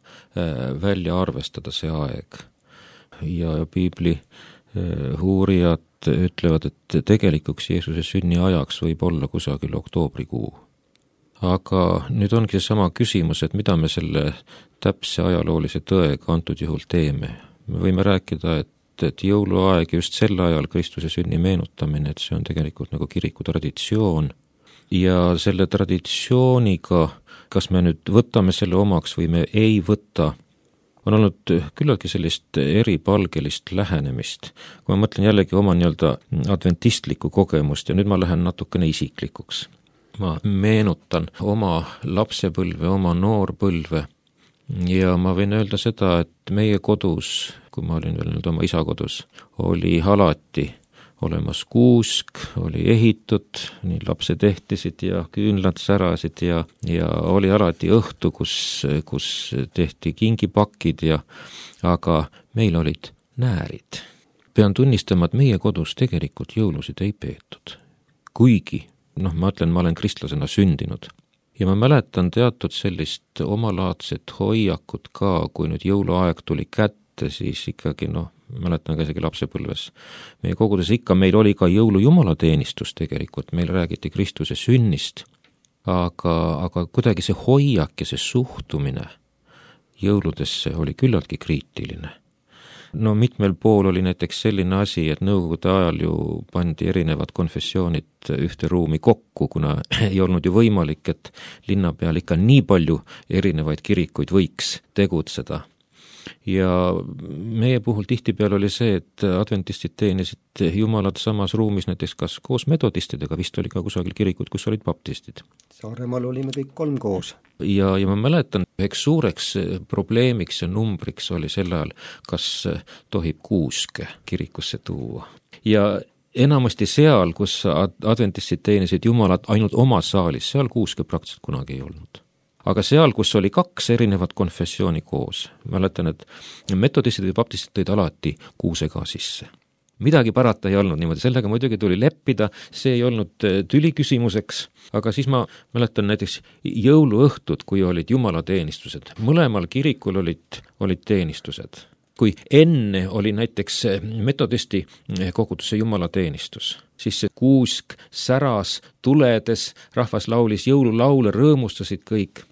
välja arvestada see aeg. Ja piibli uurijad ütlevad, et tegelikuks Jeesuse sünni ajaks võib olla kusagil oktoobrikuu. Aga nüüd ongi sama küsimus, et mida me selle täpse ajaloolise tõega antud juhul teeme. Me võime rääkida, et, et jõuluaeg just sel ajal Kristuse sünni meenutamine, et see on tegelikult nagu kiriku traditsioon. Ja selle traditsiooniga, kas me nüüd võtame selle omaks või me ei võta, on olnud küllaltki sellist eripalgelist lähenemist. Kui ma mõtlen jällegi oma nii-öelda adventistlikku kogemust ja nüüd ma lähen natukene isiklikuks. Ma meenutan oma lapsepõlve, oma noorpõlve ja ma võin öelda seda, et meie kodus, kui ma olin veel nüüd oma isa kodus, oli alati olemas kuusk, oli ehitud, nii lapsed ehtisid ja küünlad särasid ja, ja oli alati õhtu, kus, kus tehti kingipakid ja, aga meil olid näärid. Pean tunnistama, et meie kodus tegelikult jõulusid ei peetud, kuigi noh, ma ütlen, ma olen kristlasena sündinud. Ja ma mäletan teatud sellist omalaadset hoiakut ka, kui nüüd jõuluaeg tuli kätte, siis ikkagi, noh, mäletan ka isegi lapsepõlves. Meie kogudes ikka, meil oli ka jõulu jumalateenistus tegelikult, meil räägiti Kristuse sünnist, aga, aga kuidagi see hoiak ja see suhtumine jõuludesse oli küllaltki kriitiline. No mitmel pool oli näiteks selline asi, et nõukogude ajal ju pandi erinevad konfessioonid ühte ruumi kokku, kuna ei olnud ju võimalik, et linna peal ikka nii palju erinevaid kirikuid võiks tegutseda. ja meie puhul tihtipeale oli see, et adventistid teenisid Jumalat samas ruumis näiteks kas koos metodistidega, vist oli ka kusagil kirikud, kus olid baptistid. Saaremaal olime kõik kolm koos. Ja, ja ma mäletan, üheks suureks probleemiks ja numbriks oli sel ajal, kas tohib kuuske kirikusse tuua. Ja enamasti seal, kus adventistid teenisid Jumalat ainult oma saalis, seal kuuske praktiliselt kunagi ei olnud. Aga seal, kus oli kaks erinevat konfessiooni koos, mäletan, et metodistid ja baptistid tõid alati kuuse ka sisse. Midagi parata ei olnud niimoodi, sellega muidugi tuli leppida, see ei olnud tüli küsimuseks, aga siis ma mäletan näiteks jõuluõhtud, kui olid jumalateenistused. Mõlemal kirikul olid, olid teenistused. Kui enne oli näiteks metodisti koguduse jumalateenistus, siis see kuusk säras tuledes, rahvas laulis jõululaule, rõõmustasid kõik.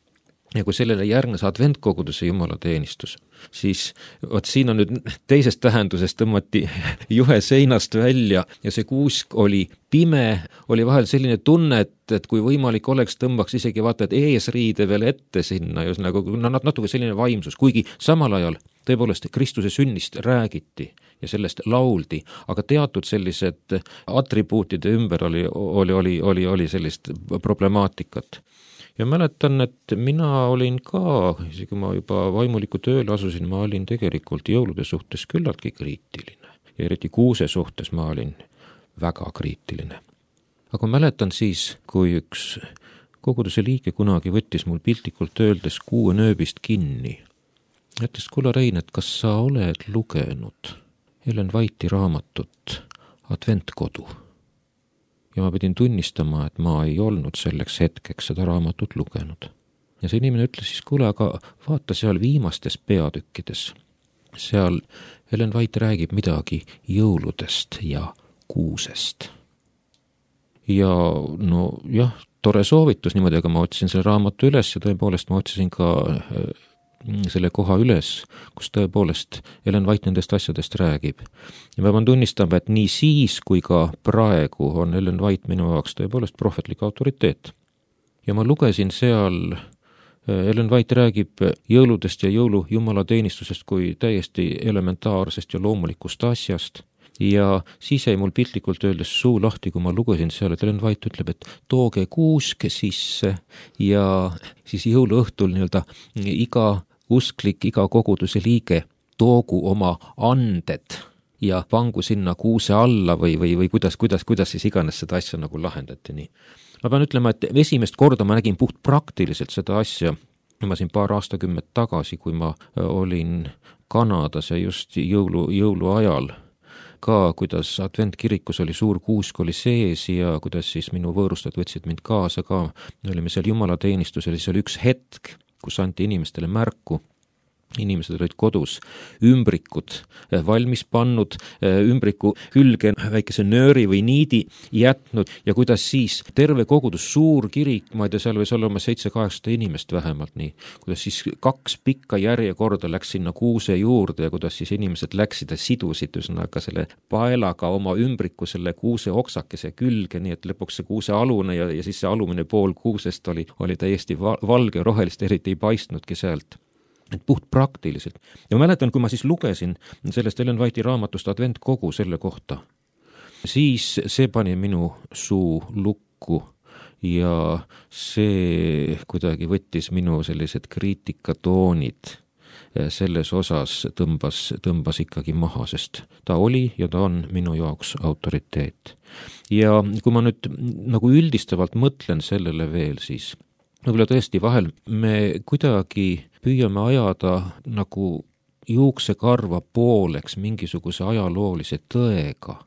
Ja kui sellele järgnes adventkoguduse jumalateenistus, siis vot siin on nüüd teisest tähendusest tõmmati juhe seinast välja ja see kuusk oli pime, oli vahel selline tunne, et, et kui võimalik oleks, tõmbaks isegi vaata, et eesriide veel ette sinna, just nagu natuke selline vaimsus, kuigi samal ajal tõepoolest Kristuse sünnist räägiti ja sellest lauldi, aga teatud sellised atribuutide ümber oli, oli, oli, oli, oli sellist problemaatikat. Ja mäletan, et mina olin ka, isegi ma juba vaimuliku tööle asusin, ma olin tegelikult jõulude suhtes küllaltki kriitiline. Ja eriti kuuse suhtes ma olin väga kriitiline. Aga mäletan siis, kui üks koguduse liige kunagi võttis mul piltlikult öeldes kuue nööbist kinni. Ütles, kuule Rein, et kas sa oled lugenud Ellen White'i raamatut Adventkodu? Ja ma pidin tunnistama, et ma ei olnud selleks hetkeks seda raamatut lugenud. Ja see inimene ütles siis, kuule, aga vaata seal viimastes peatükkides. Seal Ellen White räägib midagi jõuludest ja kuusest. Ja no jah, tore soovitus niimoodi, aga ma otsisin selle raamatu üles ja tõepoolest ma otsisin ka selle koha üles, kus tõepoolest Ellen White nendest asjadest räägib. Ja ma pean tunnistama, et nii siis kui ka praegu on Ellen White minu jaoks tõepoolest prohvetlik autoriteet. Ja ma lugesin seal, Ellen White räägib jõuludest ja jõulu jumalateenistusest kui täiesti elementaarsest ja loomulikust asjast. Ja siis jäi mul piltlikult öeldes suu lahti, kui ma lugesin seal, et Ellen White ütleb, et tooge kuusk sisse ja siis jõuluõhtul nii-öelda iga usklik, iga koguduse liige toogu oma anded ja pangu sinna kuuse alla või, või, või kuidas, kuidas, kuidas siis iganes seda asja nagu lahendati nii. Ma pean ütlema, et esimest korda ma nägin puht praktiliselt seda asja, ma siin paar aastakümmet tagasi, kui ma olin Kanadas ja just jõulu, jõulu ajal, ka kuidas adventkirikus oli suur kuusk oli sees ja kuidas siis minu võõrustajad võtsid mind kaasa ka, me olime seal jumalateenistusel, siis oli üks hetk, kus anti inimestele märku, inimesed olid kodus, ümbrikud valmis pannud, ümbriku külge väikese nööri või niidi jätnud ja kuidas siis terve kogudus, suur kirik, ma ei tea, seal võis olla oma seitse-kaheksasada inimest vähemalt nii, kuidas siis kaks pikka järjekorda läks sinna kuuse juurde ja kuidas siis inimesed läksid ja sidusid üsnaga selle paelaga oma ümbriku selle kuuse oksakese külge, nii et lõpuks see kuuse alune ja, ja siis see alumine pool kuusest oli, oli täiesti valge, rohelist eriti ei paistnudki sealt. Et puht praktiliselt. Ja mäletan, kui ma siis lugesin sellest Ellen White'i raamatust Adventkogu selle kohta, siis see pani minu suu lukku ja see kuidagi võttis minu sellised kriitikatoonid selles osas tõmbas, tõmbas ikkagi maha, sest ta oli ja ta on minu jaoks autoriteet. Ja kui ma nüüd nagu üldistavalt mõtlen sellele veel, siis võib-olla tõesti vahel me kuidagi püüame ajada nagu juuksekarva pooleks mingisuguse ajaloolise tõega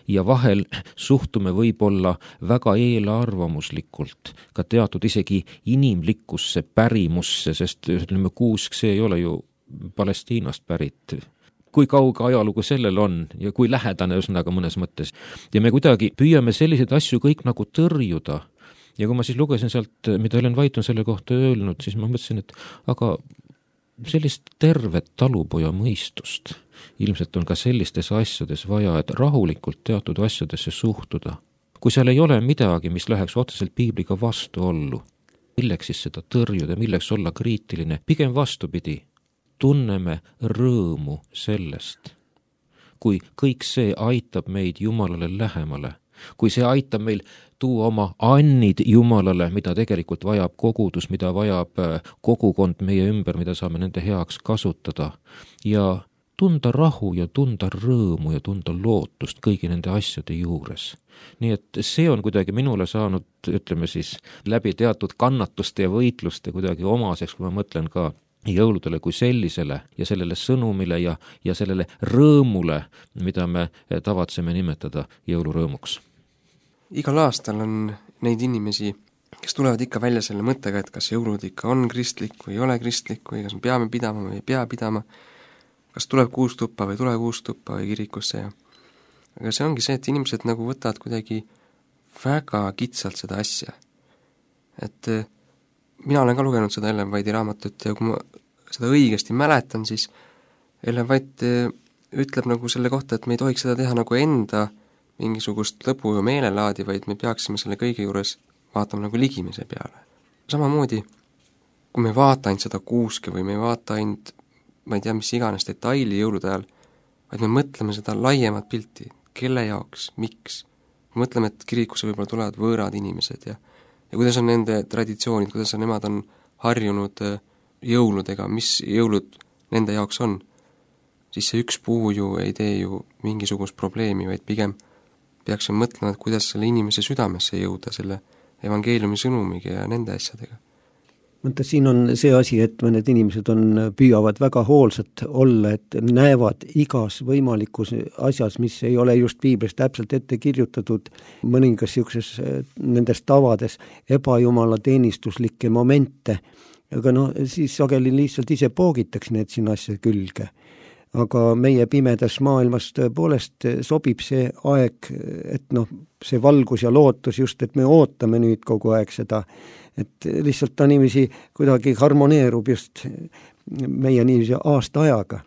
ja vahel suhtume võib-olla väga eelarvamuslikult ka teatud isegi inimlikkusse pärimusse, sest ütleme, kuusk, see ei ole ju Palestiinast pärit. Kui kauge ajalugu sellel on ja kui lähedane üsnaga mõnes mõttes. Ja me kuidagi püüame selliseid asju kõik nagu tõrjuda. Ja kui ma siis lugesin sealt, mida Ellen White on selle kohta öelnud, siis ma mõtlesin, et aga sellist tervet talupoja mõistust ilmselt on ka sellistes asjades vaja, et rahulikult teatud asjadesse suhtuda. Kui seal ei ole midagi, mis läheks otseselt piibliga vastuollu, milleks siis seda tõrjuda, milleks olla kriitiline, pigem vastupidi. tunneme rõõmu sellest, kui kõik see aitab meid Jumalale lähemale, kui see aitab meil tuua oma annid Jumalale, mida tegelikult vajab kogudus, mida vajab kogukond meie ümber, mida saame nende heaks kasutada ja tunda rahu ja tunda rõõmu ja tunda lootust kõigi nende asjade juures. Nii et see on kuidagi minule saanud, ütleme siis, läbi teatud kannatuste ja võitluste kuidagi omaseks, kui ma mõtlen ka jõuludele kui sellisele ja sellele sõnumile ja, ja sellele rõõmule, mida me tavatseme nimetada jõulurõõmuks. Igal aastal on neid inimesi, kes tulevad ikka välja selle mõttega, et kas jõulud ikka on kristlik või ei ole kristlik või kas me peame pidama või ei pea pidama, kas tuleb kuustuppa või tuleb kuustuppa või kirikusse ja aga see ongi see, et inimesed nagu võtavad kuidagi väga kitsalt seda asja. Et mina olen ka lugenud seda Ellen White'i raamatut ja kui ma seda õigesti mäletan, siis Ellen White ütleb nagu selle kohta, et me ei tohiks seda teha nagu enda mingisugust lõbu ja meelelaadi, vaid me peaksime selle kõige juures vaatama nagu ligimise peale. Samamoodi, kui me vaata ainult seda kuuske või me ei vaata ainult, ma ei tea, mis iganes detaili jõulude ajal, vaid me mõtleme seda laiemat pilti, kelle jaoks, miks. Me mõtleme, et kirikusse võib-olla tulevad võõrad inimesed ja, ja kuidas on nende traditsioonid, kuidas on, nemad on harjunud jõuludega, mis jõulud nende jaoks on, siis see üks puu ju ei tee ju mingisugust probleemi, vaid pigem peaksime mõtlema, et kuidas selle inimese südamesse jõuda selle evangeeliumi sõnumiga ja nende asjadega. Mõtta, siin on see asi, et mõned inimesed on, püüavad väga hoolsad olla, et näevad igas võimalikus asjas, mis ei ole just piiblis täpselt ette kirjutatud, mõningas niisuguses nendes tavades ebajumala teenistuslikke momente, aga no siis sageli lihtsalt ise poogitaks need sinna asja külge. Aga meie pimedas maailmas tõepoolest sobib see aeg, et noh, see valgus ja lootus just, et me ootame nüüd kogu aeg seda, et lihtsalt ta niiviisi kuidagi harmoneerub just meie niiviisi aasta ajaga.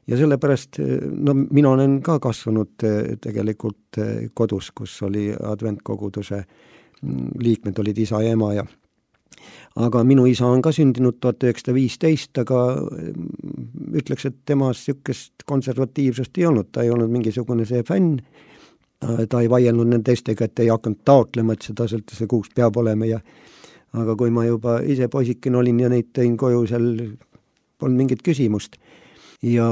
Ja sellepärast, no mina olen ka kasvanud tegelikult kodus, kus oli adventkoguduse liikmed, olid isa ja ema ja aga minu isa on ka sündinud tuhat üheksasada viisteist, aga ütleks, et temas niisugust konservatiivsust ei olnud, ta ei olnud mingisugune see fänn, ta ei vaielnud nende teistega, et ei hakanud taotlema, et seda sõlta see kuus peab olema ja aga kui ma juba ise poisikene olin ja neid tõin koju, seal polnud mingit küsimust. Ja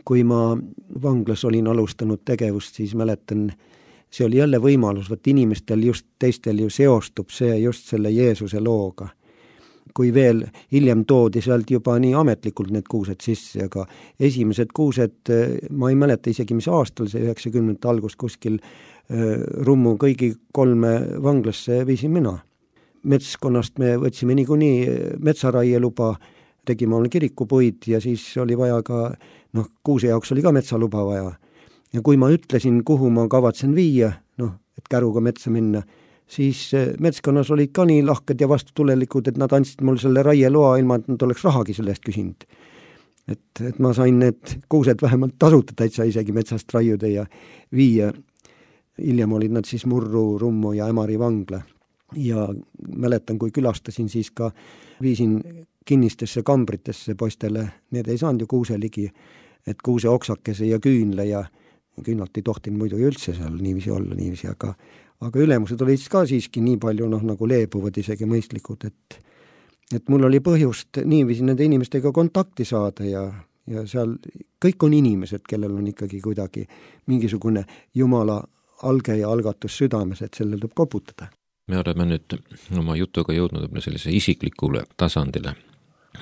kui ma vanglas olin alustanud tegevust, siis mäletan, see oli jälle võimalus, võt inimestel just teistel ju seostub see just selle Jeesuse looga. Kui veel hiljem toodi sealt juba nii ametlikult need kuused sisse, aga esimesed kuused, ma ei mäleta isegi, mis aastal see üheksakümnendate algus kuskil Rummu kõigi kolme vanglasse viisin mina. Metskonnast me võtsime niikuinii metsaraieluba, tegime oma kirikupuid ja siis oli vaja ka, noh, kuuse jaoks oli ka metsaluba vaja. Ja kui ma ütlesin, kuhu ma kavatsen viia, noh, et käruga metsa minna, siis metskonnas olid ka nii lahked ja vastutulelikud, et nad andsid mul selle raieloa ilma, et nad oleks rahagi sellest küsinud. Et, et ma sain need kuused vähemalt tasuta täitsa isegi metsast raiuda ja viia. Hiljem olid nad siis Murru, Rummu ja Ämari vangla. Ja mäletan, kui külastasin, siis ka viisin kinnistesse kambritesse poistele, need ei saanud ju kuuse ligi, et kuuse oksakese ja küünle ja küünalt ei tohtinud muidu üldse seal niiviisi olla, niiviisi, aga aga ülemused olid ka siiski nii palju noh, nagu leebuvad isegi mõistlikud, et, et mul oli põhjust niiviisi nende inimestega kontakti saada ja, ja seal kõik on inimesed, kellel on ikkagi kuidagi mingisugune Jumala alge ja algatus südames, et sellel tuleb koputada. Me oleme nüüd oma jutuga jõudnud sellise isiklikule tasandile,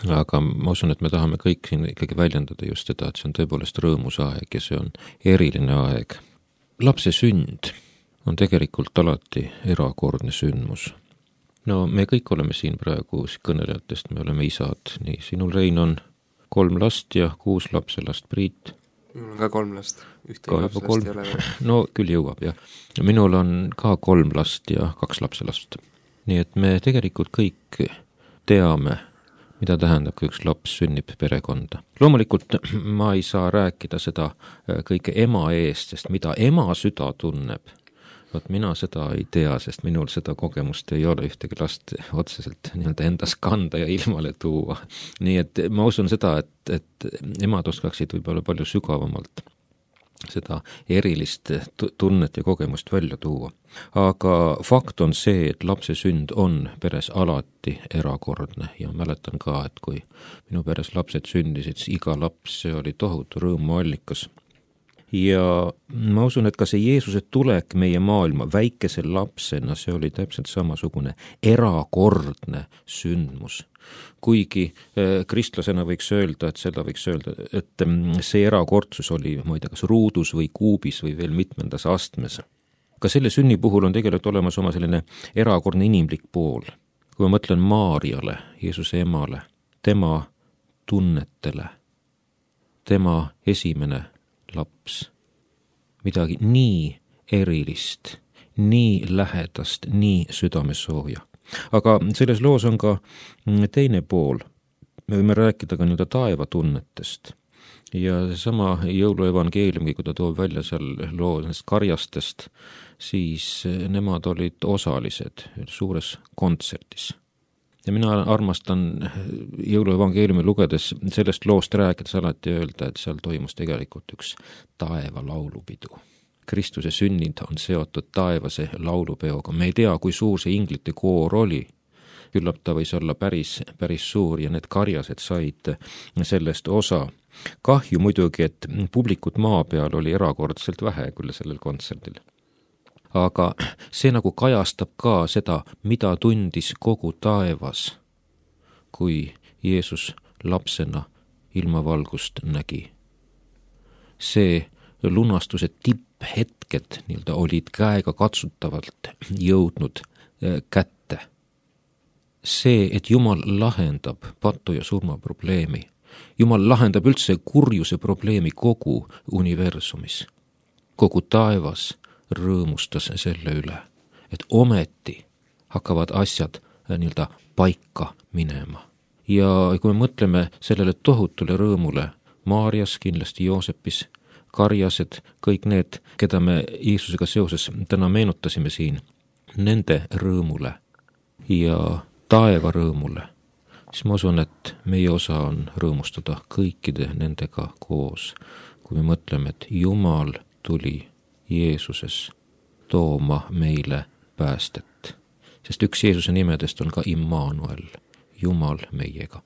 aga ma usun, et me tahame kõik siin ikkagi väljendada just seda, et see on tõepoolest rõõmus aeg ja see on eriline aeg. Lapse sünd on tegelikult alati erakordne sündmus. No me kõik oleme siin praegu kõnelejatest, me oleme isad, nii sinul Rein on kolm last ja kuus lapselast, Priit. Minul on ka kolm last, ühte lapselast kolm... ei ole veel. No küll jõuab, jah. Minul on ka kolm last ja kaks lapselast. Nii et me tegelikult kõik teame, mida tähendab, kui üks laps sünnib perekonda. Loomulikult ma ei saa rääkida seda kõike ema eest, sest mida ema süda tunneb, Vaat mina seda ei tea, sest minul seda kogemust ei ole ühtegi last otseselt nii-öelda endas kanda ja ilmale tuua. Nii et ma usun seda, et, et emad oskaksid võib-olla palju sügavamalt seda erilist tunnet ja kogemust välja tuua. Aga fakt on see, et lapse sünd on peres alati erakordne ja mäletan ka, et kui minu peres lapsed sündisid, siis iga laps, see oli tohutu rõõmuallikas. Ja ma usun, et ka see Jeesuse tulek meie maailma väikese lapsena, see oli täpselt samasugune erakordne sündmus. Kuigi kristlasena võiks öelda, et seda võiks öelda, et see erakordsus oli, ma ei tea, kas ruudus või kuubis või veel mitmendas astmes. Ka selle sünni puhul on tegelikult olemas oma selline erakordne inimlik pool. Kui ma mõtlen Maarjale, Jeesuse emale, tema tunnetele, tema esimene laps, midagi nii erilist, nii lähedast, nii südamesooja. Aga selles loos on ka teine pool. Me võime rääkida ka nii-öelda taevatunnetest. Ja seesama jõuluevangeeliumi, kui ta toob välja seal loo nendest karjastest, siis nemad olid osalised suures kontsertis. Ja mina armastan jõuluevangeeliumi lugedes sellest loost rääkides alati öelda, et seal toimus tegelikult üks taeva laulupidu. Kristuse sünnid on seotud taevase laulupeoga. Me ei tea, kui suur see inglite koor oli. Küllap ta võis olla päris, päris suur ja need karjased said sellest osa. Kahju muidugi, et publikut maa peal oli erakordselt vähe küll sellel kontserdil. Aga see nagu kajastab ka seda, mida tundis kogu taevas, kui Jeesus lapsena ilmavalgust nägi. See lunastuse tipphetked nii-öelda olid käega katsutavalt jõudnud kätte. See, et Jumal lahendab patu ja surma probleemi. Jumal lahendab üldse kurjuse probleemi kogu universumis. Kogu taevas rõõmustas selle üle, et ometi hakkavad asjad nii-öelda paika minema. Ja kui me mõtleme sellele tohutule rõõmule, Maarjas, kindlasti Joosepis, karjased, kõik need, keda me Jeesusega seoses täna meenutasime siin, nende rõõmule ja taeva rõõmule, siis ma usun, et meie osa on rõõmustada kõikide nendega koos, kui me mõtleme, et Jumal tuli Jeesuses tooma meile päästet. Sest üks Jeesuse nimedest on ka Immanuel, Jumal meiega.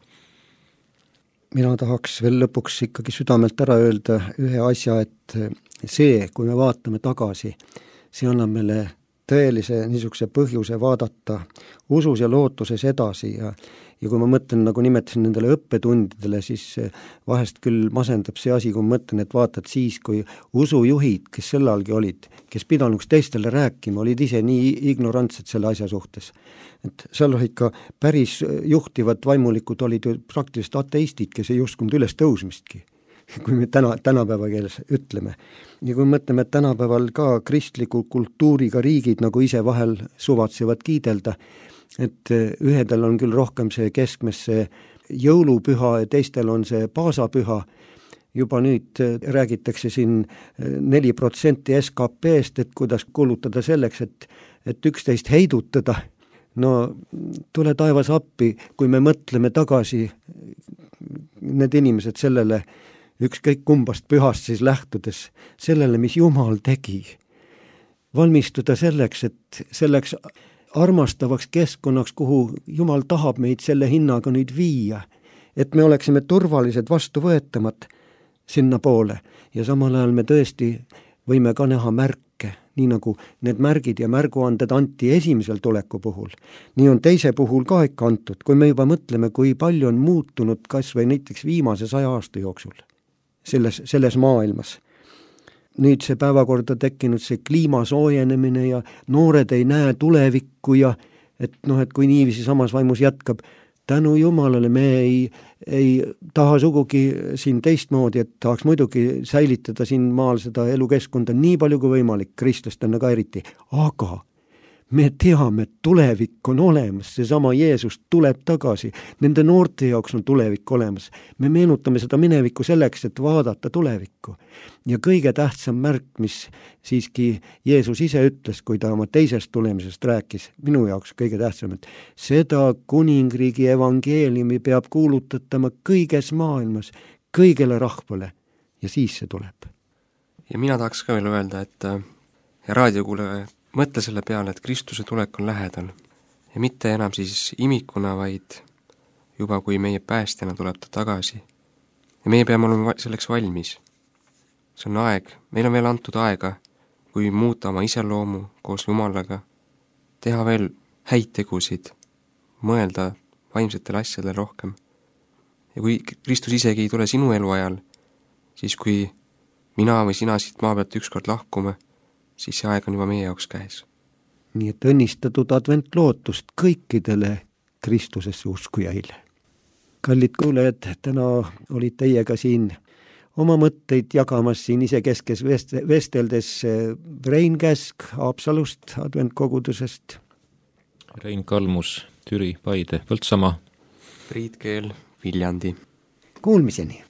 Mina tahaks veel lõpuks ikkagi südamelt ära öelda ühe asja, et see, kui me vaatame tagasi, see annab meile tõelise niisuguse põhjuse vaadata usus ja lootuses edasi ja Ja kui ma mõtlen, nagu nimetasin nendele õppetundidele, siis vahest küll masendab see asi, kui ma mõtlen, et vaatad siis, kui usujuhid, kes sellalgi olid, kes pidanuks teistele rääkima, olid ise nii ignorantsed selle asja suhtes. Et seal olid ka päris juhtivad vaimulikud, olid ju praktiliselt ateistid, kes ei uskunud üles tõusmistki, kui me täna, tänapäeva keeles ütleme. Ja kui mõtleme, et tänapäeval ka kristliku kultuuriga riigid nagu ise vahel suvatsevad kiidelda, et ühedel on küll rohkem see keskmes see jõulupüha ja teistel on see paasapüha. Juba nüüd räägitakse siin neli protsenti S K P-st, et kuidas kulutada selleks, et, et üksteist heidutada. No tule taevas appi, kui me mõtleme tagasi need inimesed sellele, ükskõik kumbast pühast siis lähtudes, sellele, mis Jumal tegi. Valmistuda selleks, et selleks armastavaks keskkonnaks, kuhu Jumal tahab meid selle hinnaga nüüd viia, et me oleksime turvalised vastuvõetamad sinna poole ja samal ajal me tõesti võime ka näha märke, nii nagu need märgid ja märguanded anti esimesel tuleku puhul. Nii on teise puhul ka ikka antud, kui me juba mõtleme, kui palju on muutunud kas või näiteks viimase saja aasta jooksul selles, selles maailmas. Nüüd see päevakorda tekkinud see kliima soojenemine ja noored ei näe tulevikku ja et noh, et kui niiviisi samas vaimus jätkab, tänu Jumalale me ei, ei taha sugugi siin teistmoodi, et tahaks muidugi säilitada siin maal seda elukeskkonda nii palju kui võimalik, kristlastena ka eriti, aga me teame, et tulevik on olemas, seesama Jeesus tuleb tagasi, nende noorte jaoks on tulevik olemas. Me meenutame seda minevikku selleks, et vaadata tulevikku. Ja kõige tähtsam märk, mis siiski Jeesus ise ütles, kui ta oma teisest tulemisest rääkis, minu jaoks kõige tähtsam, et seda kuningriigi evangeeliumi peab kuulutatama kõiges maailmas, kõigele rahvale ja siis see tuleb. Ja mina tahaks ka veel öelda, et ja raadiokuule mõtle selle peale, et Kristuse tulek on lähedal ja mitte enam siis imikuna, vaid juba kui meie päästjana tuleb ta tagasi. Ja meie peame olema selleks valmis. See on aeg, meil on veel antud aega, kui muuta oma iseloomu koos Jumalaga, teha veel häid tegusid, mõelda vaimsetele asjadele rohkem. Ja kui Kristus isegi ei tule sinu eluajal, siis kui mina või sina siit maa pealt ükskord lahkume, siis see aeg on juba meie jaoks käes. Nii et õnnistatud adventlootust kõikidele Kristusesse uskujaile. Kallid kuulajad, täna olid teiega siin oma mõtteid jagamas siin isekeskes vesteldes Rein Käsk Haapsalust adventkogudusest. Rein Kalmus, Türi, Paide, Põltsamaa. Priit Keel, Viljandi. Kuulmiseni!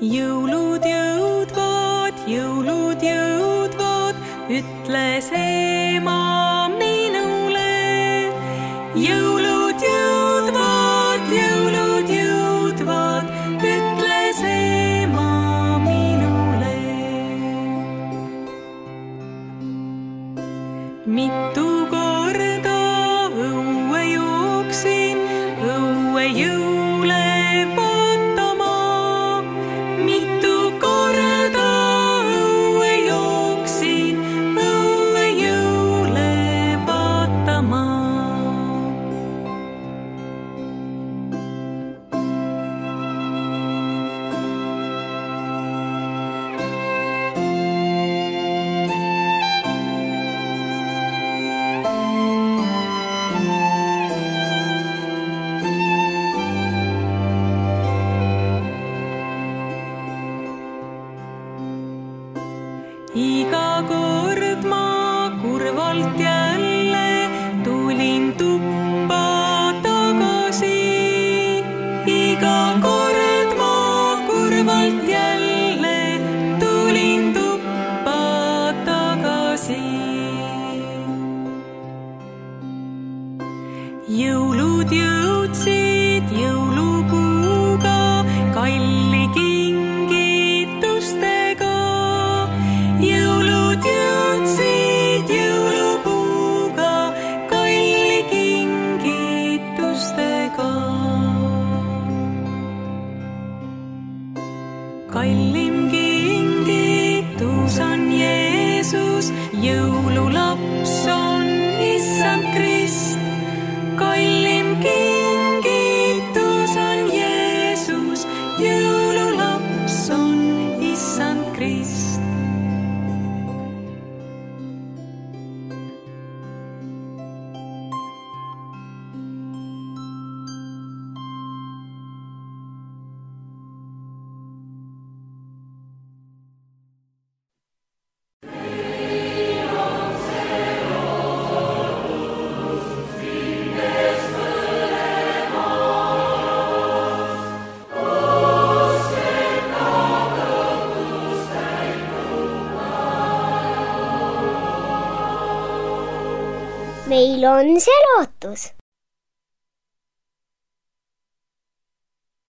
Jõulud jõudvad, jõulud jõudvad, ütles ema minule. Jõulud jõudvad, jõulud jõudvad, ütles ema minule. Mitu korda õue jooksin, õue jõule vaatama. Mitu korda õue jooksin, õue jõule vaatama. Iga kord ma kurvalt jälle tulin tuppa tagasi. Iga kord ma kurvalt jälle tulin tuppa tagasi. Jõulud jõudsid jõulupuuga, kalli kingitustega. Jõulud jõudsid jõulupuuga, kalli kingitustega. Kallim kingitus on Jeesus, jõululaps on Issand Krist. Kallim kingitus on Jeesus, jõululaps on Issand Krist. Meil on see lootus.